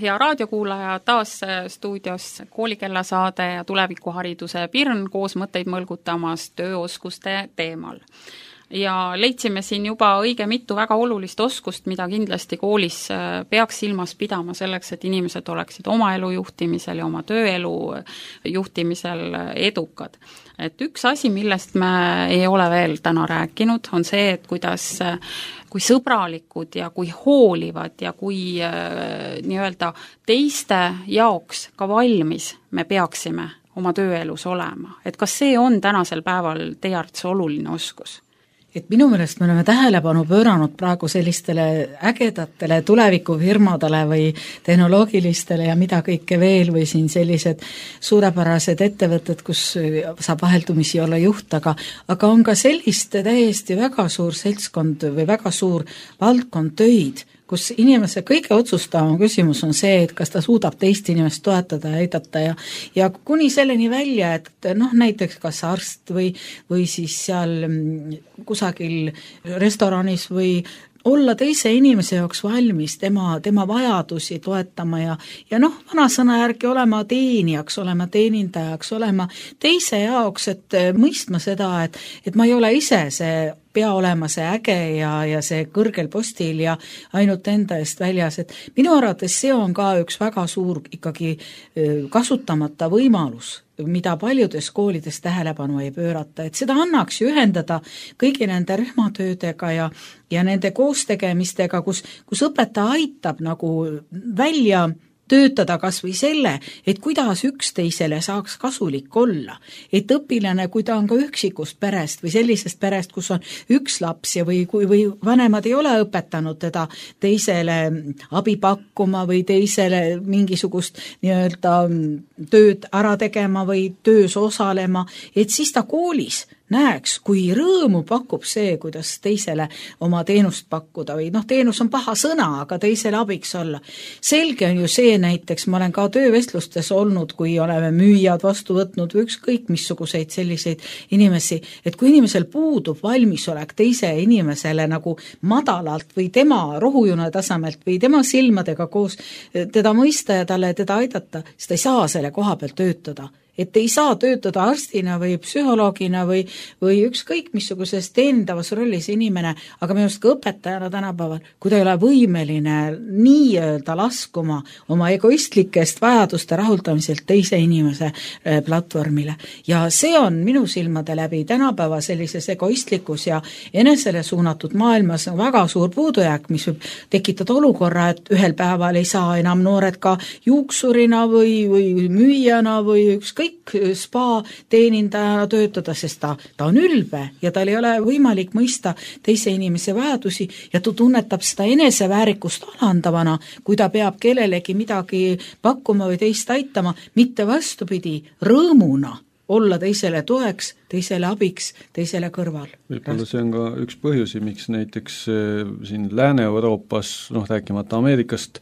hea raadiokuulaja, taas stuudios koolikellasaade ja tulevikuhariduse Pirn koos mõtteid mõlgutamas tööoskuste teemal. ja leidsime siin juba õige mitu väga olulist oskust, mida kindlasti koolis peaks silmas pidama selleks, et inimesed oleksid oma elu juhtimisel ja oma tööelu juhtimisel edukad. Et üks asi, millest me ei ole veel täna rääkinud, on see, et kuidas, kui sõbralikud ja kui hoolivad ja kui äh, nii-öelda teiste jaoks ka valmis me peaksime oma tööelus olema. Et kas see on tänasel päeval teie arvates oluline oskus? Et minu meelest me oleme tähelepanu pööranud praegu sellistele ägedatele tulevikufirmadele või tehnoloogilistele ja mida kõike veel või siin sellised suurepärased ettevõtted, kus saab vaheldumisi olla juht, aga, aga on ka sellist täiesti väga suur seltskond või väga suur valdkond töid, kus inimese kõige otsustavam küsimus on see, et kas ta suudab teist inimest toetada ja aidata ja, ja kuni selleni välja, et noh, näiteks kas arst või, või siis seal kusagil restoranis või olla teise inimese jaoks valmis, tema, tema vajadusi toetama ja, ja noh, vanasõna järgi olema teenijaks, olema teenindajaks, olema teise jaoks, et mõistma seda, et, et ma ei ole ise see pea olema see äge ja, ja see kõrgel postil ja ainult enda eest väljas, et minu arvates see on ka üks väga suur ikkagi kasutamata võimalus, mida paljudes koolides tähelepanu ei pöörata, et seda annaks ju ühendada kõigi nende rühmatöödega ja, ja nende koostegemistega, kus, kus õpetaja aitab nagu välja töötada kas või selle, et kuidas üksteisele saaks kasulik olla. Et õpilane, kui ta on ka üksikust perest või sellisest perest, kus on üks laps ja või, kui, või vanemad ei ole õpetanud teda teisele abi pakkuma või teisele mingisugust nii-öelda tööd ära tegema või töös osalema, et siis ta koolis näeks, kui rõõmu pakub see, kuidas teisele oma teenust pakkuda või noh, teenus on paha sõna, aga teisele abiks olla. Selge on ju see näiteks, ma olen ka töövestlustes olnud, kui oleme müüjad vastu võtnud või ükskõik missuguseid selliseid inimesi, et kui inimesel puudub valmisolek teise inimesele nagu madalalt või tema rohujuna tasemelt või tema silmadega koos teda mõista ja talle teda aidata, siis ta ei saa selle koha peal töötada. Et ei saa töötada arstina või psühholoogina või, või ükskõik missuguses teenindavas rollis inimene, aga minu arust ka õpetajana tänapäeval, kui ta ei ole võimeline nii-öelda laskuma oma egoistlikest vajaduste rahuldamiselt teise inimese platvormile. Ja see on minu silmade läbi tänapäeva sellises egoistlikus ja enesele suunatud maailmas väga suur puudujääk, mis võib tekitada olukorra, et ühel päeval ei saa enam noored ka juuksurina või, või müüjana või ükskõik kõik spa teenindajana töötada, sest ta, ta on ülbe ja tal ei ole võimalik mõista teise inimese vajadusi ja ta tunnetab seda eneseväärikust alandavana, kui ta peab kellelegi midagi pakkuma või teist aitama, mitte vastupidi, rõõmuna olla teisele toeks, teisele abiks, teisele kõrval. Võib-olla see on ka üks põhjusi, miks näiteks siin Lääne-Euroopas, noh rääkimata Ameerikast,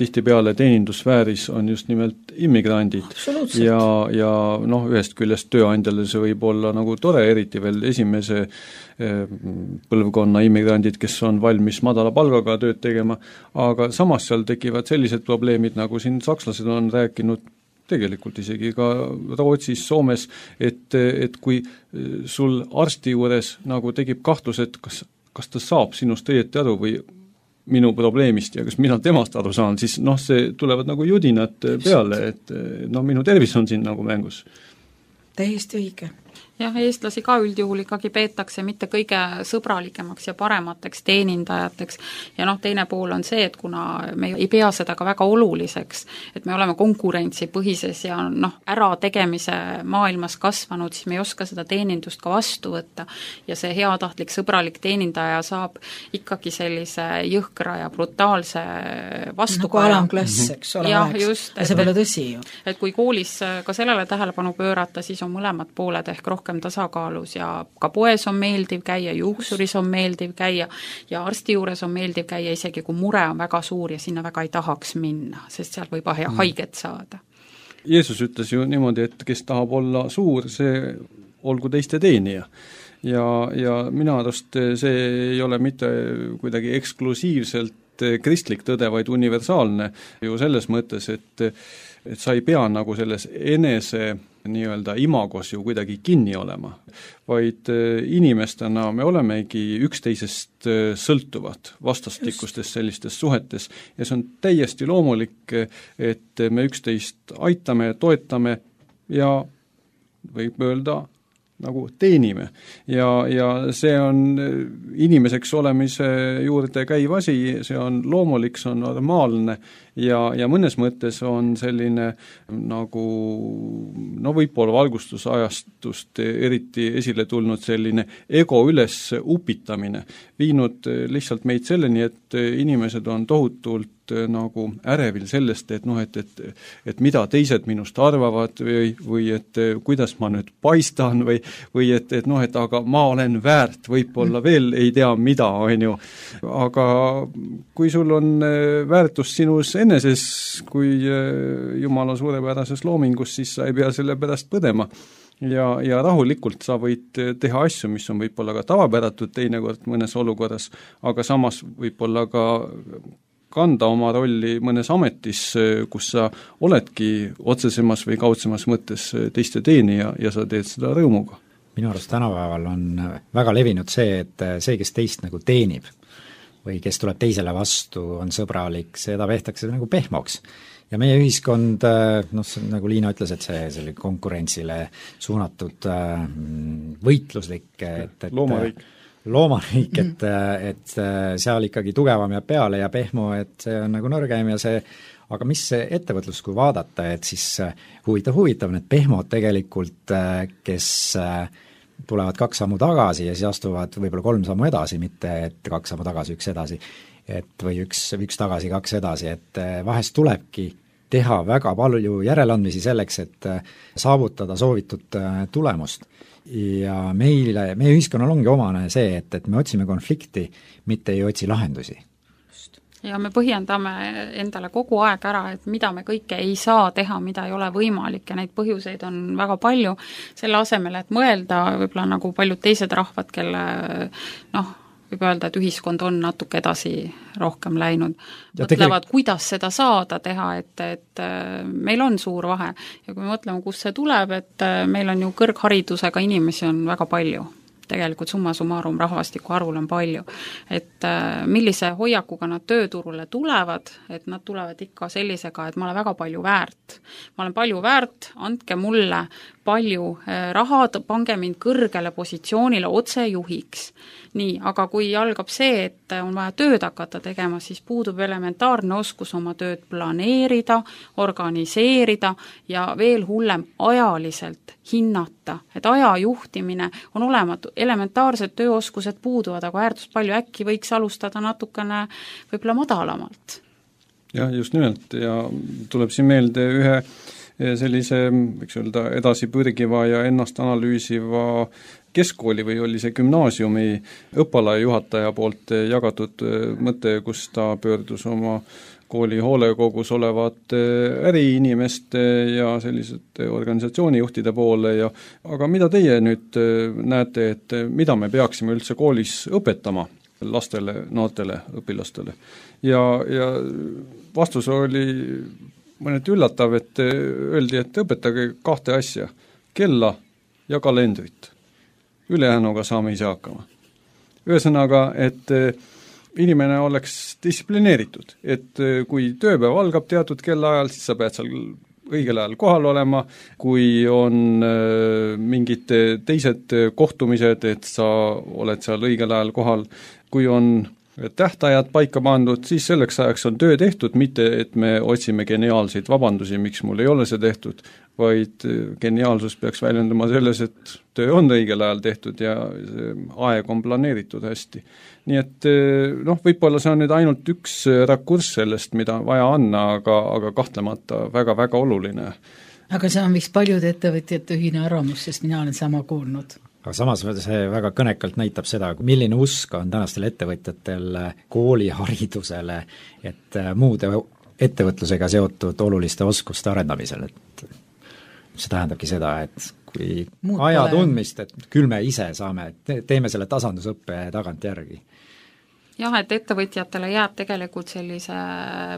tihtipeale teenindussfääris on just nimelt immigrandid. Ja, ja noh, ühest küljest tööandjale see võib olla nagu tore, eriti veel esimese põlvkonna immigrandid, kes on valmis madala palgaga tööd tegema, aga samas seal tekivad sellised probleemid, nagu siin sakslased on rääkinud, tegelikult isegi ka Rootsis, Soomes, et, et kui sul arsti juures nagu tekib kahtlus, et kas, kas ta saab sinust õieti aru või minu probleemist ja kas mina temast aru saan, siis noh, see tulevad nagu judinad peale, et noh, minu tervis on siin nagu mängus. Täiesti õige. Jah, eestlasi ka üldjuhul ikkagi peetakse mitte kõige sõbralikemaks ja paremateks teenindajateks ja noh, teine pool on see, et kuna me ei pea seda ka väga oluliseks, et me oleme konkurentsipõhises ja noh, ärategemise maailmas kasvanud, siis me ei oska seda teenindust ka vastu võtta ja see heatahtlik sõbralik teenindaja saab ikkagi sellise jõhkra ja brutaalse vastukaja. Nagu alamklass, eks ole, ja, oleks. Just, ja see pole tõsi ju. Et kui koolis ka sellele tähelepanu pöörata, siis on mõlemad pooled ehk rohkem tasakaalus ja ka poes on meeldiv käia, juuksuris on meeldiv käia ja arsti juures on meeldiv käia, isegi kui mure on väga suur ja sinna väga ei tahaks minna, sest seal võib mm. haiget saada. Jeesus ütles ju niimoodi, et kes tahab olla suur, see olgu teiste teenija. Ja, ja minu arust see ei ole mitte kuidagi eksklusiivselt kristlik tõde, vaid universaalne ju selles mõttes, et et sa ei pea nagu selles enese nii-öelda imagos ju kuidagi kinni olema, vaid inimestena me olemegi üksteisest sõltuvad vastastikustes sellistes suhetes ja see on täiesti loomulik, et me üksteist aitame, toetame ja võib öelda nagu teenime. Ja, ja see on inimeseks olemise juurde käiv asi, see on loomulik, see on normaalne ja, ja mõnes mõttes on selline nagu no võib-olla valgustusajastust eriti esile tulnud selline ego üles upitamine, viinud lihtsalt meid selleni, et inimesed on tohutult nagu ärevil sellest, et noh, et, et, et mida teised minust arvavad või, või et kuidas ma nüüd paistan või, või et, et noh, et aga ma olen väärt, võib-olla veel ei tea mida, on ju. Aga kui sul on väärtus sinus eneses kui Jumala suurepärases loomingus, siis sa ei pea selle pärast põdema. Ja, ja rahulikult sa võid teha asju, mis on võib-olla ka tavapäratud teinekord mõnes olukorras, aga samas võib-olla ka kanda oma rolli mõnes ametis, kus sa oledki otsesemas või kaudsemas mõttes teiste teenija ja sa teed seda rõõmuga. Minu arust tänapäeval on väga levinud see, et see, kes teist nagu teenib või kes tuleb teisele vastu, on sõbralik, seda vehtakse nagu pehmoks. Ja meie ühiskond, noh, nagu Liina ütles, et see, see konkurentsile suunatud võitluslik, et, et loomariik loomariik, et, et seal ikkagi tugevam ja peale ja pehmo, et see on nagu nõrgem ja see, aga mis see ettevõtlus, kui vaadata, et siis huvitav, huvitav need pehmod tegelikult, kes tulevad kaks sammu tagasi ja siis astuvad võib-olla kolm sammu edasi, mitte et kaks sammu tagasi, üks edasi, et või üks, üks tagasi, kaks edasi, et vahest tulebki teha väga palju järeleandmisi selleks, et saavutada soovitud tulemust. Ja meile, meie ühiskonnal ongi omane see, et, et me otsime konflikti, mitte ei otsi lahendusi. Ja me põhjendame endale kogu aeg ära, et mida me kõike ei saa teha, mida ei ole võimalik ja neid põhjuseid on väga palju, selle asemel, et mõelda võib-olla nagu paljud teised rahvad, kelle noh, võib öelda, et ühiskond on natuke edasi rohkem läinud. Ja mõtlevad, kuidas seda saada teha, et, et meil on suur vahe. Ja kui me mõtleme, kus see tuleb, et meil on ju kõrgharidusega inimesi on väga palju. Tegelikult summa summarum rahvastiku arvul on palju. Et millise hoiakuga nad tööturule tulevad, et nad tulevad ikka sellisega, et ma olen väga palju väärt. Ma olen palju väärt, andke mulle palju raha, pange mind kõrgele positsioonile otse juhiks. Nii, aga kui algab see, et on vaja tööd hakata tegema, siis puudub elementaarne oskus oma tööd planeerida, organiseerida ja veel hullem ajaliselt hinnata. Et aja juhtimine on olematu, elementaarsed tööoskused puuduvad, aga äärdust palju äkki võiks alustada natukene võib-olla madalamalt. Jah, just nimelt ja tuleb siin meelde ühe sellise, võiks öelda, edasi pürgiva ja ennast analüüsiva keskkooli või oli see gümnaasiumi õppalaia juhataja poolt jagatud mõte, kus ta pöördus oma kooli hoolekogus olevate äriinimeste ja sellisete organisatsioonijuhtide poole ja aga mida teie nüüd näete, et mida me peaksime üldse koolis õpetama lastele, noortele õpilastele? Ja, ja vastus oli mõneti üllatav, et öeldi, et õpetage kahte asja, kella ja kalendrit. Ülejäänuga saame ise hakkama. Ühesõnaga, et inimene oleks distsiplineeritud, et kui tööpäev algab teatud kellaajal, siis sa pead seal õigel ajal kohal olema, kui on mingid teised kohtumised, et sa oled seal õigel ajal kohal, kui on tähtajad paika pandud, siis selleks ajaks on töö tehtud, mitte et me otsime geniaalseid vabandusi, miks mul ei ole see tehtud, vaid geniaalsus peaks väljendama selles, et töö on õigel ajal tehtud ja see aeg on planeeritud hästi. Nii et noh, võib-olla see on nüüd ainult üks rakurss sellest, mida vaja anna, aga, aga kahtlemata väga-väga oluline. Aga see on vist paljude ettevõtjate ühine arvamus, sest mina olen sama kuulnud. Aga samas see väga kõnekalt näitab seda, milline usk on tänastel ettevõtjatel kooliharidusele, et muude ettevõtlusega seotud oluliste oskuste arendamisel, et see tähendabki seda, et kui Muud aja tundmist, et küll me ise saame, teeme selle tasandusõppe tagant järgi. jah, et ettevõtjatele jääb tegelikult sellise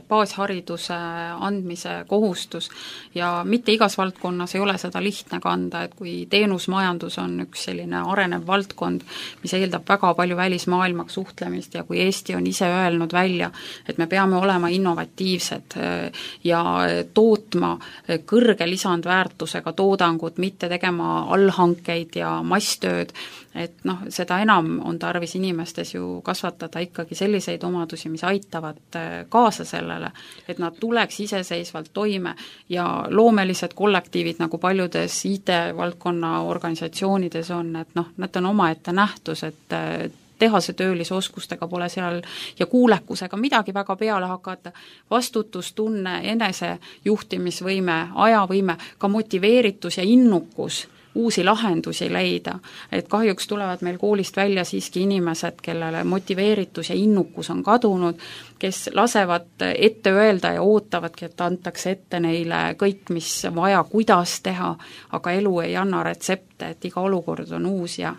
baashariduse andmise kohustus ja mitte igas valdkonnas ei ole seda lihtne kanda, et kui teenusmajandus on üks selline arenev valdkond, mis eeldab väga palju välismaailmaga suhtlemist ja kui Eesti on ise öelnud välja, et me peame olema innovatiivsed ja tootma kõrge lisandväärtusega toodangut, mitte tegema allhankeid ja masstööd, et noh, seda enam on tarvis inimestes ju kasvatada ikkagi selliseid omadusi, mis aitavad kaasa sellele, et nad tuleks iseseisvalt toime ja loomelised kollektiivid, nagu paljudes I T-valdkonna organisatsioonides on, et noh, need on omaette nähtus, et tehase töölisoskustega pole seal ja kuulekusega midagi väga peale hakata, vastutustunne, enesejuhtimisvõime, ajavõime, ka motiveeritus ja innukus uusi lahendusi leida, et kahjuks tulevad meil koolist välja siiski inimesed, kellele motiveeritus ja innukus on kadunud, kes lasevad ette öelda ja ootavadki, et antakse ette neile kõik, mis vaja, kuidas teha, aga elu ei anna retsepte, et iga olukord on uus ja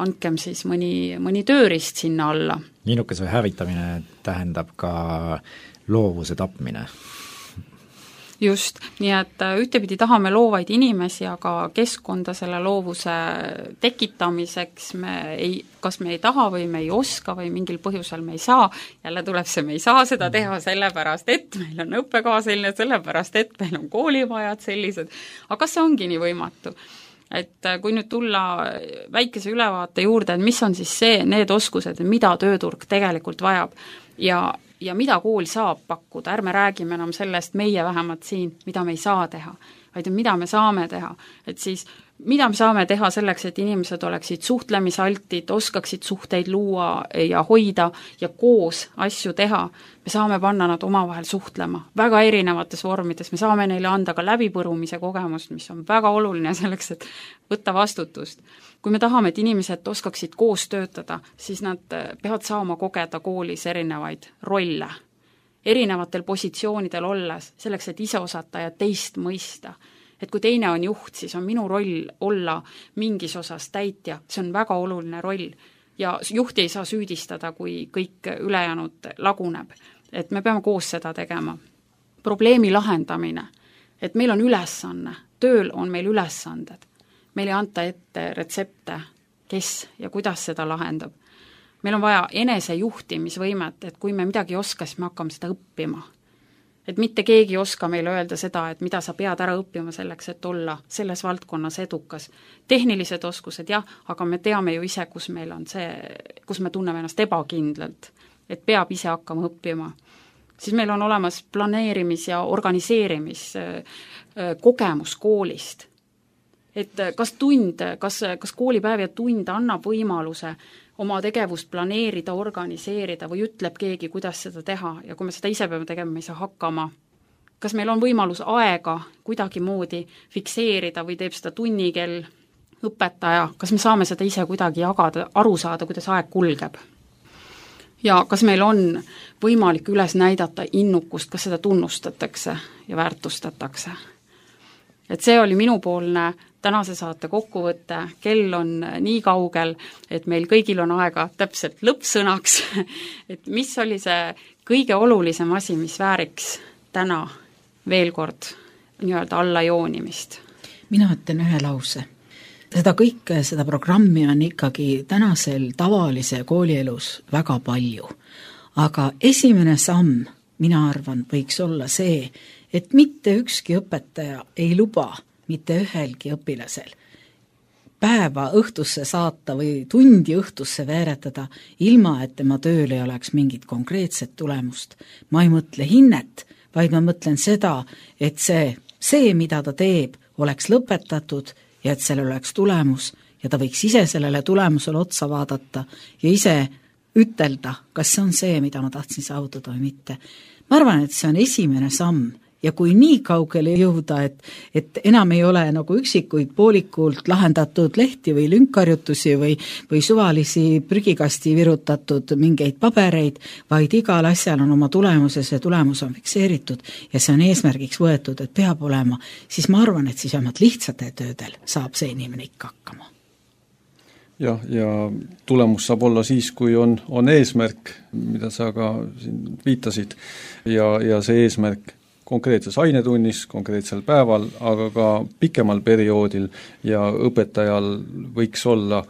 andkem siis mõni, mõni tööriist sinna alla. Innukuse hävitamine tähendab ka loovuse tapmine. Just, nii et ühtepidi tahame loovaid inimesi, aga keskkonda selle loovuse tekitamiseks me ei, kas me ei taha või me ei oska või mingil põhjusel me ei saa, jälle tuleb see, me ei saa seda teha sellepärast, et meil on õppekava selline, sellepärast, et meil on koolivajad sellised, aga kas see ongi nii võimatu? Et kui nüüd tulla väikese ülevaate juurde, et mis on siis see, need oskused, mida tööturg tegelikult vajab ja ja mida kool saab pakkuda, ärme räägime enam sellest, meie vähemalt siin, mida me ei saa teha, vaid mida me saame teha, et siis mida me saame teha selleks, et inimesed oleksid suhtlemisaltid, oskaksid suhteid luua ja hoida ja koos asju teha, me saame panna nad omavahel suhtlema väga erinevates vormides, me saame neile anda ka läbipõrumise kogemust, mis on väga oluline selleks, et võtta vastutust. Kui me tahame, et inimesed oskaksid koos töötada, siis nad peavad saama kogeda koolis erinevaid rolle, erinevatel positsioonidel olles, selleks, et ise osata ja teist mõista. Et kui teine on juht, siis on minu roll olla mingis osas täitja, see on väga oluline roll ja juhti ei saa süüdistada, kui kõik ülejäänud laguneb. Et me peame koos seda tegema. Probleemi lahendamine, et meil on ülesanne, tööl on meil ülesanded. Meil ei anta ette retsepte, kes ja kuidas seda lahendab. Meil on vaja enesejuhtimisvõimet, et kui me midagi ei oska, siis me hakkame seda õppima. Et mitte keegi ei oska meile öelda seda, et mida sa pead ära õppima selleks, et olla selles valdkonnas edukas. Tehnilised oskused, jah, aga me teame ju ise, kus meil on see, kus me tunneme ennast ebakindlalt, et peab ise hakkama õppima. Siis meil on olemas planeerimis- ja organiseerimis kogemus koolist. Et kas tund, kas, kas koolipäev ja tund annab võimaluse oma tegevust planeerida, organiseerida või ütleb keegi, kuidas seda teha ja kui me seda ise peame tegema, me ei saa hakkama. Kas meil on võimalus aega kuidagi moodi fikseerida või teeb seda tunnikell õpetaja, kas me saame seda ise kuidagi jagada, aru saada, kuidas aeg kulgeb? Ja kas meil on võimalik üles näidata innukust, kas seda tunnustatakse ja väärtustatakse? Et see oli minupoolne tänase saate kokkuvõte, kell on nii kaugel, et meil kõigil on aega täpselt lõppsõnaks, et mis oli see kõige olulisem asi, mis vääriks täna veel kord nii-öelda alla joonimist? Mina ütlen ühe lause. Seda kõike, seda programmi on ikkagi tänasel tavalise koolielus väga palju, aga esimene samm, mina arvan, võiks olla see, et mitte ükski õpetaja ei luba mitte ühelgi õpilasel päeva õhtusse saata või tundi õhtusse veeretada, ilma et tema tööl ei oleks mingit konkreetset tulemust. Ma ei mõtle hinnet, vaid ma mõtlen seda, et see, see, mida ta teeb, oleks lõpetatud ja et sellel oleks tulemus ja ta võiks ise sellele tulemusele otsa vaadata ja ise ütelda, kas see on see, mida ma tahtsin saavutada või mitte. Ma arvan, et see on esimene samm. Ja kui nii kaugele jõuda, et, et enam ei ole nagu üksikuid poolikult lahendatud lehti või lünkharjutusi või, või suvalisi prügikasti virutatud mingeid pabereid, vaid igal asjal on oma tulemus ja see tulemus on fikseeritud ja see on eesmärgiks võetud, et peab olema, siis ma arvan, et siis vähemalt lihtsate töödel saab see inimene ikka hakkama. jah, ja tulemus saab olla siis, kui on, on eesmärk, mida sa ka siin viitasid, ja, ja see eesmärk konkreetses ainetunnis, konkreetsel päeval, aga ka pikemal perioodil ja õpetajal võiks olla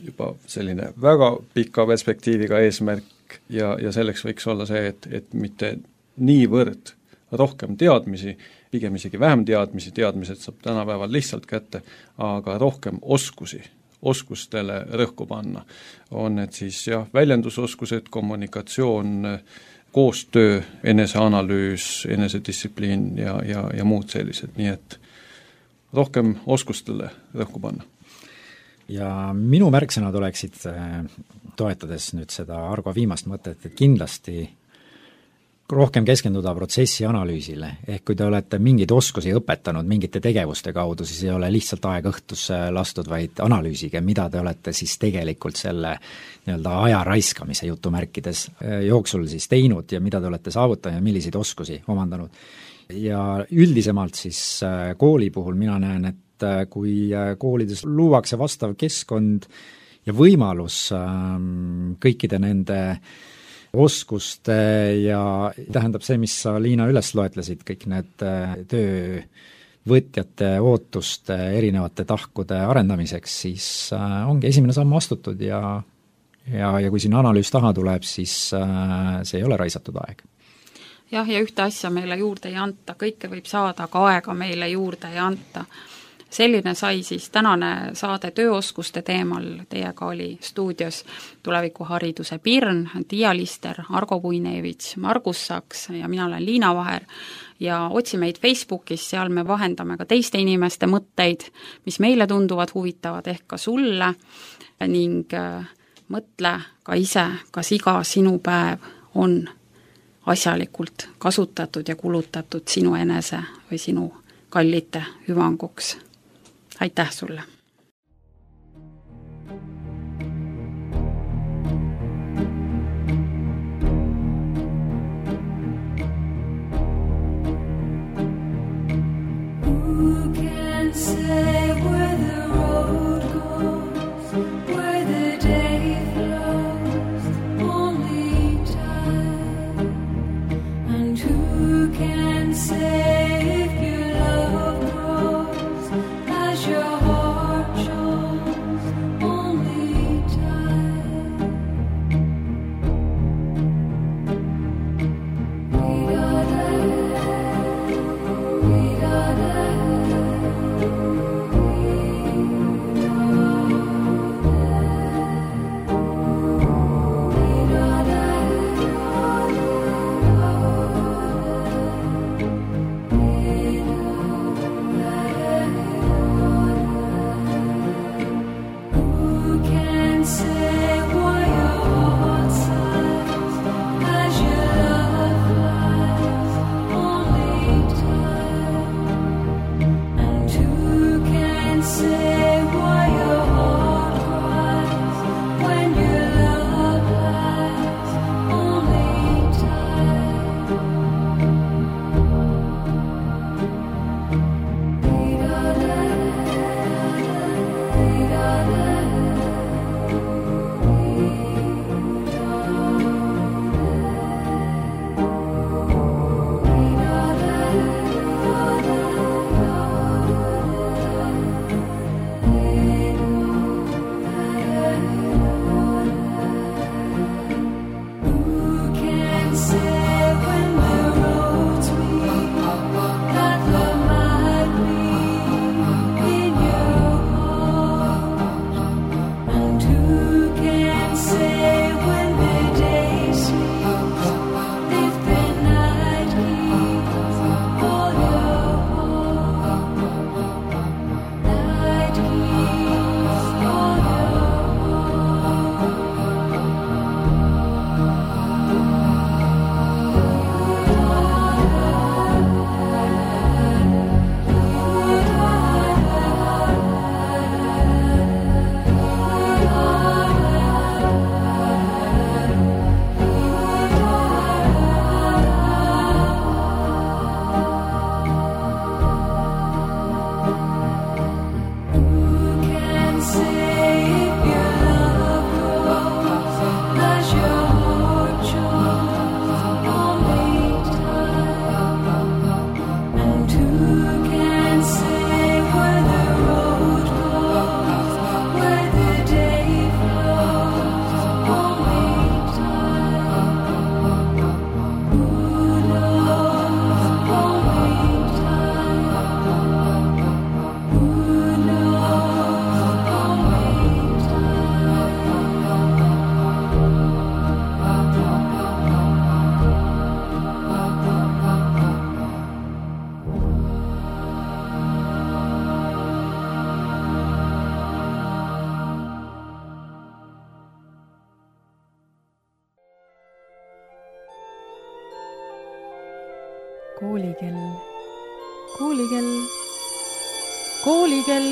juba selline väga pika perspektiiviga eesmärk ja, ja selleks võiks olla see, et, et mitte niivõrd rohkem teadmisi, pigem isegi vähem teadmisi, teadmised saab tänapäeval lihtsalt kätte, aga rohkem oskusi, oskustele rõhku panna. On need siis jah, väljendusoskused, kommunikatsioon, koostöö, eneseanalüüs, enesedistsipliin ja, ja, ja muud sellised, nii et rohkem oskustele rõhku panna. Ja minu märksõnad oleksid, toetades nüüd seda Argo viimast mõtet, et kindlasti rohkem keskenduda protsessi analüüsile, ehk kui te olete mingeid oskusi õpetanud mingite tegevuste kaudu, siis ei ole lihtsalt aeg õhtusse lastud, vaid analüüsige, mida te olete siis tegelikult selle nii-öelda aja raiskamise jutumärkides jooksul siis teinud ja mida te olete saavutanud ja milliseid oskusi omandanud. Ja üldisemalt siis kooli puhul mina näen, et kui koolides luuakse vastav keskkond ja võimalus kõikide nende oskuste ja tähendab see, mis sa, Liina, üles loetlesid, kõik need töövõtjate ootuste erinevate tahkude arendamiseks, siis ongi esimene samm astutud ja, ja, ja kui siin analüüs taha tuleb, siis see ei ole raisatud aeg. Jah, ja ühte asja meile juurde ei anta, kõike võib saada, aga aega meile juurde ei anta. Selline sai siis tänane saade tööoskuste teemal, teiega oli stuudios tulevikuhariduse Pirn, Tiia Lister, Argo Puinevitš, Margus Saks ja mina olen Liina Vaher ja otsi meid Facebookis, seal me vahendame ka teiste inimeste mõtteid, mis meile tunduvad huvitavad ehk ka sulle ning mõtle ka ise, kas iga sinu päev on asjalikult kasutatud ja kulutatud sinu enese või sinu kallite hüvanguks. Aitäh sulle! Who can say where the road goes, where the day flows, only time, and who can say if your love grows as your heart shows, only time. We gotta, we gotta, we gotta, koolikell, koolikell, koolikell.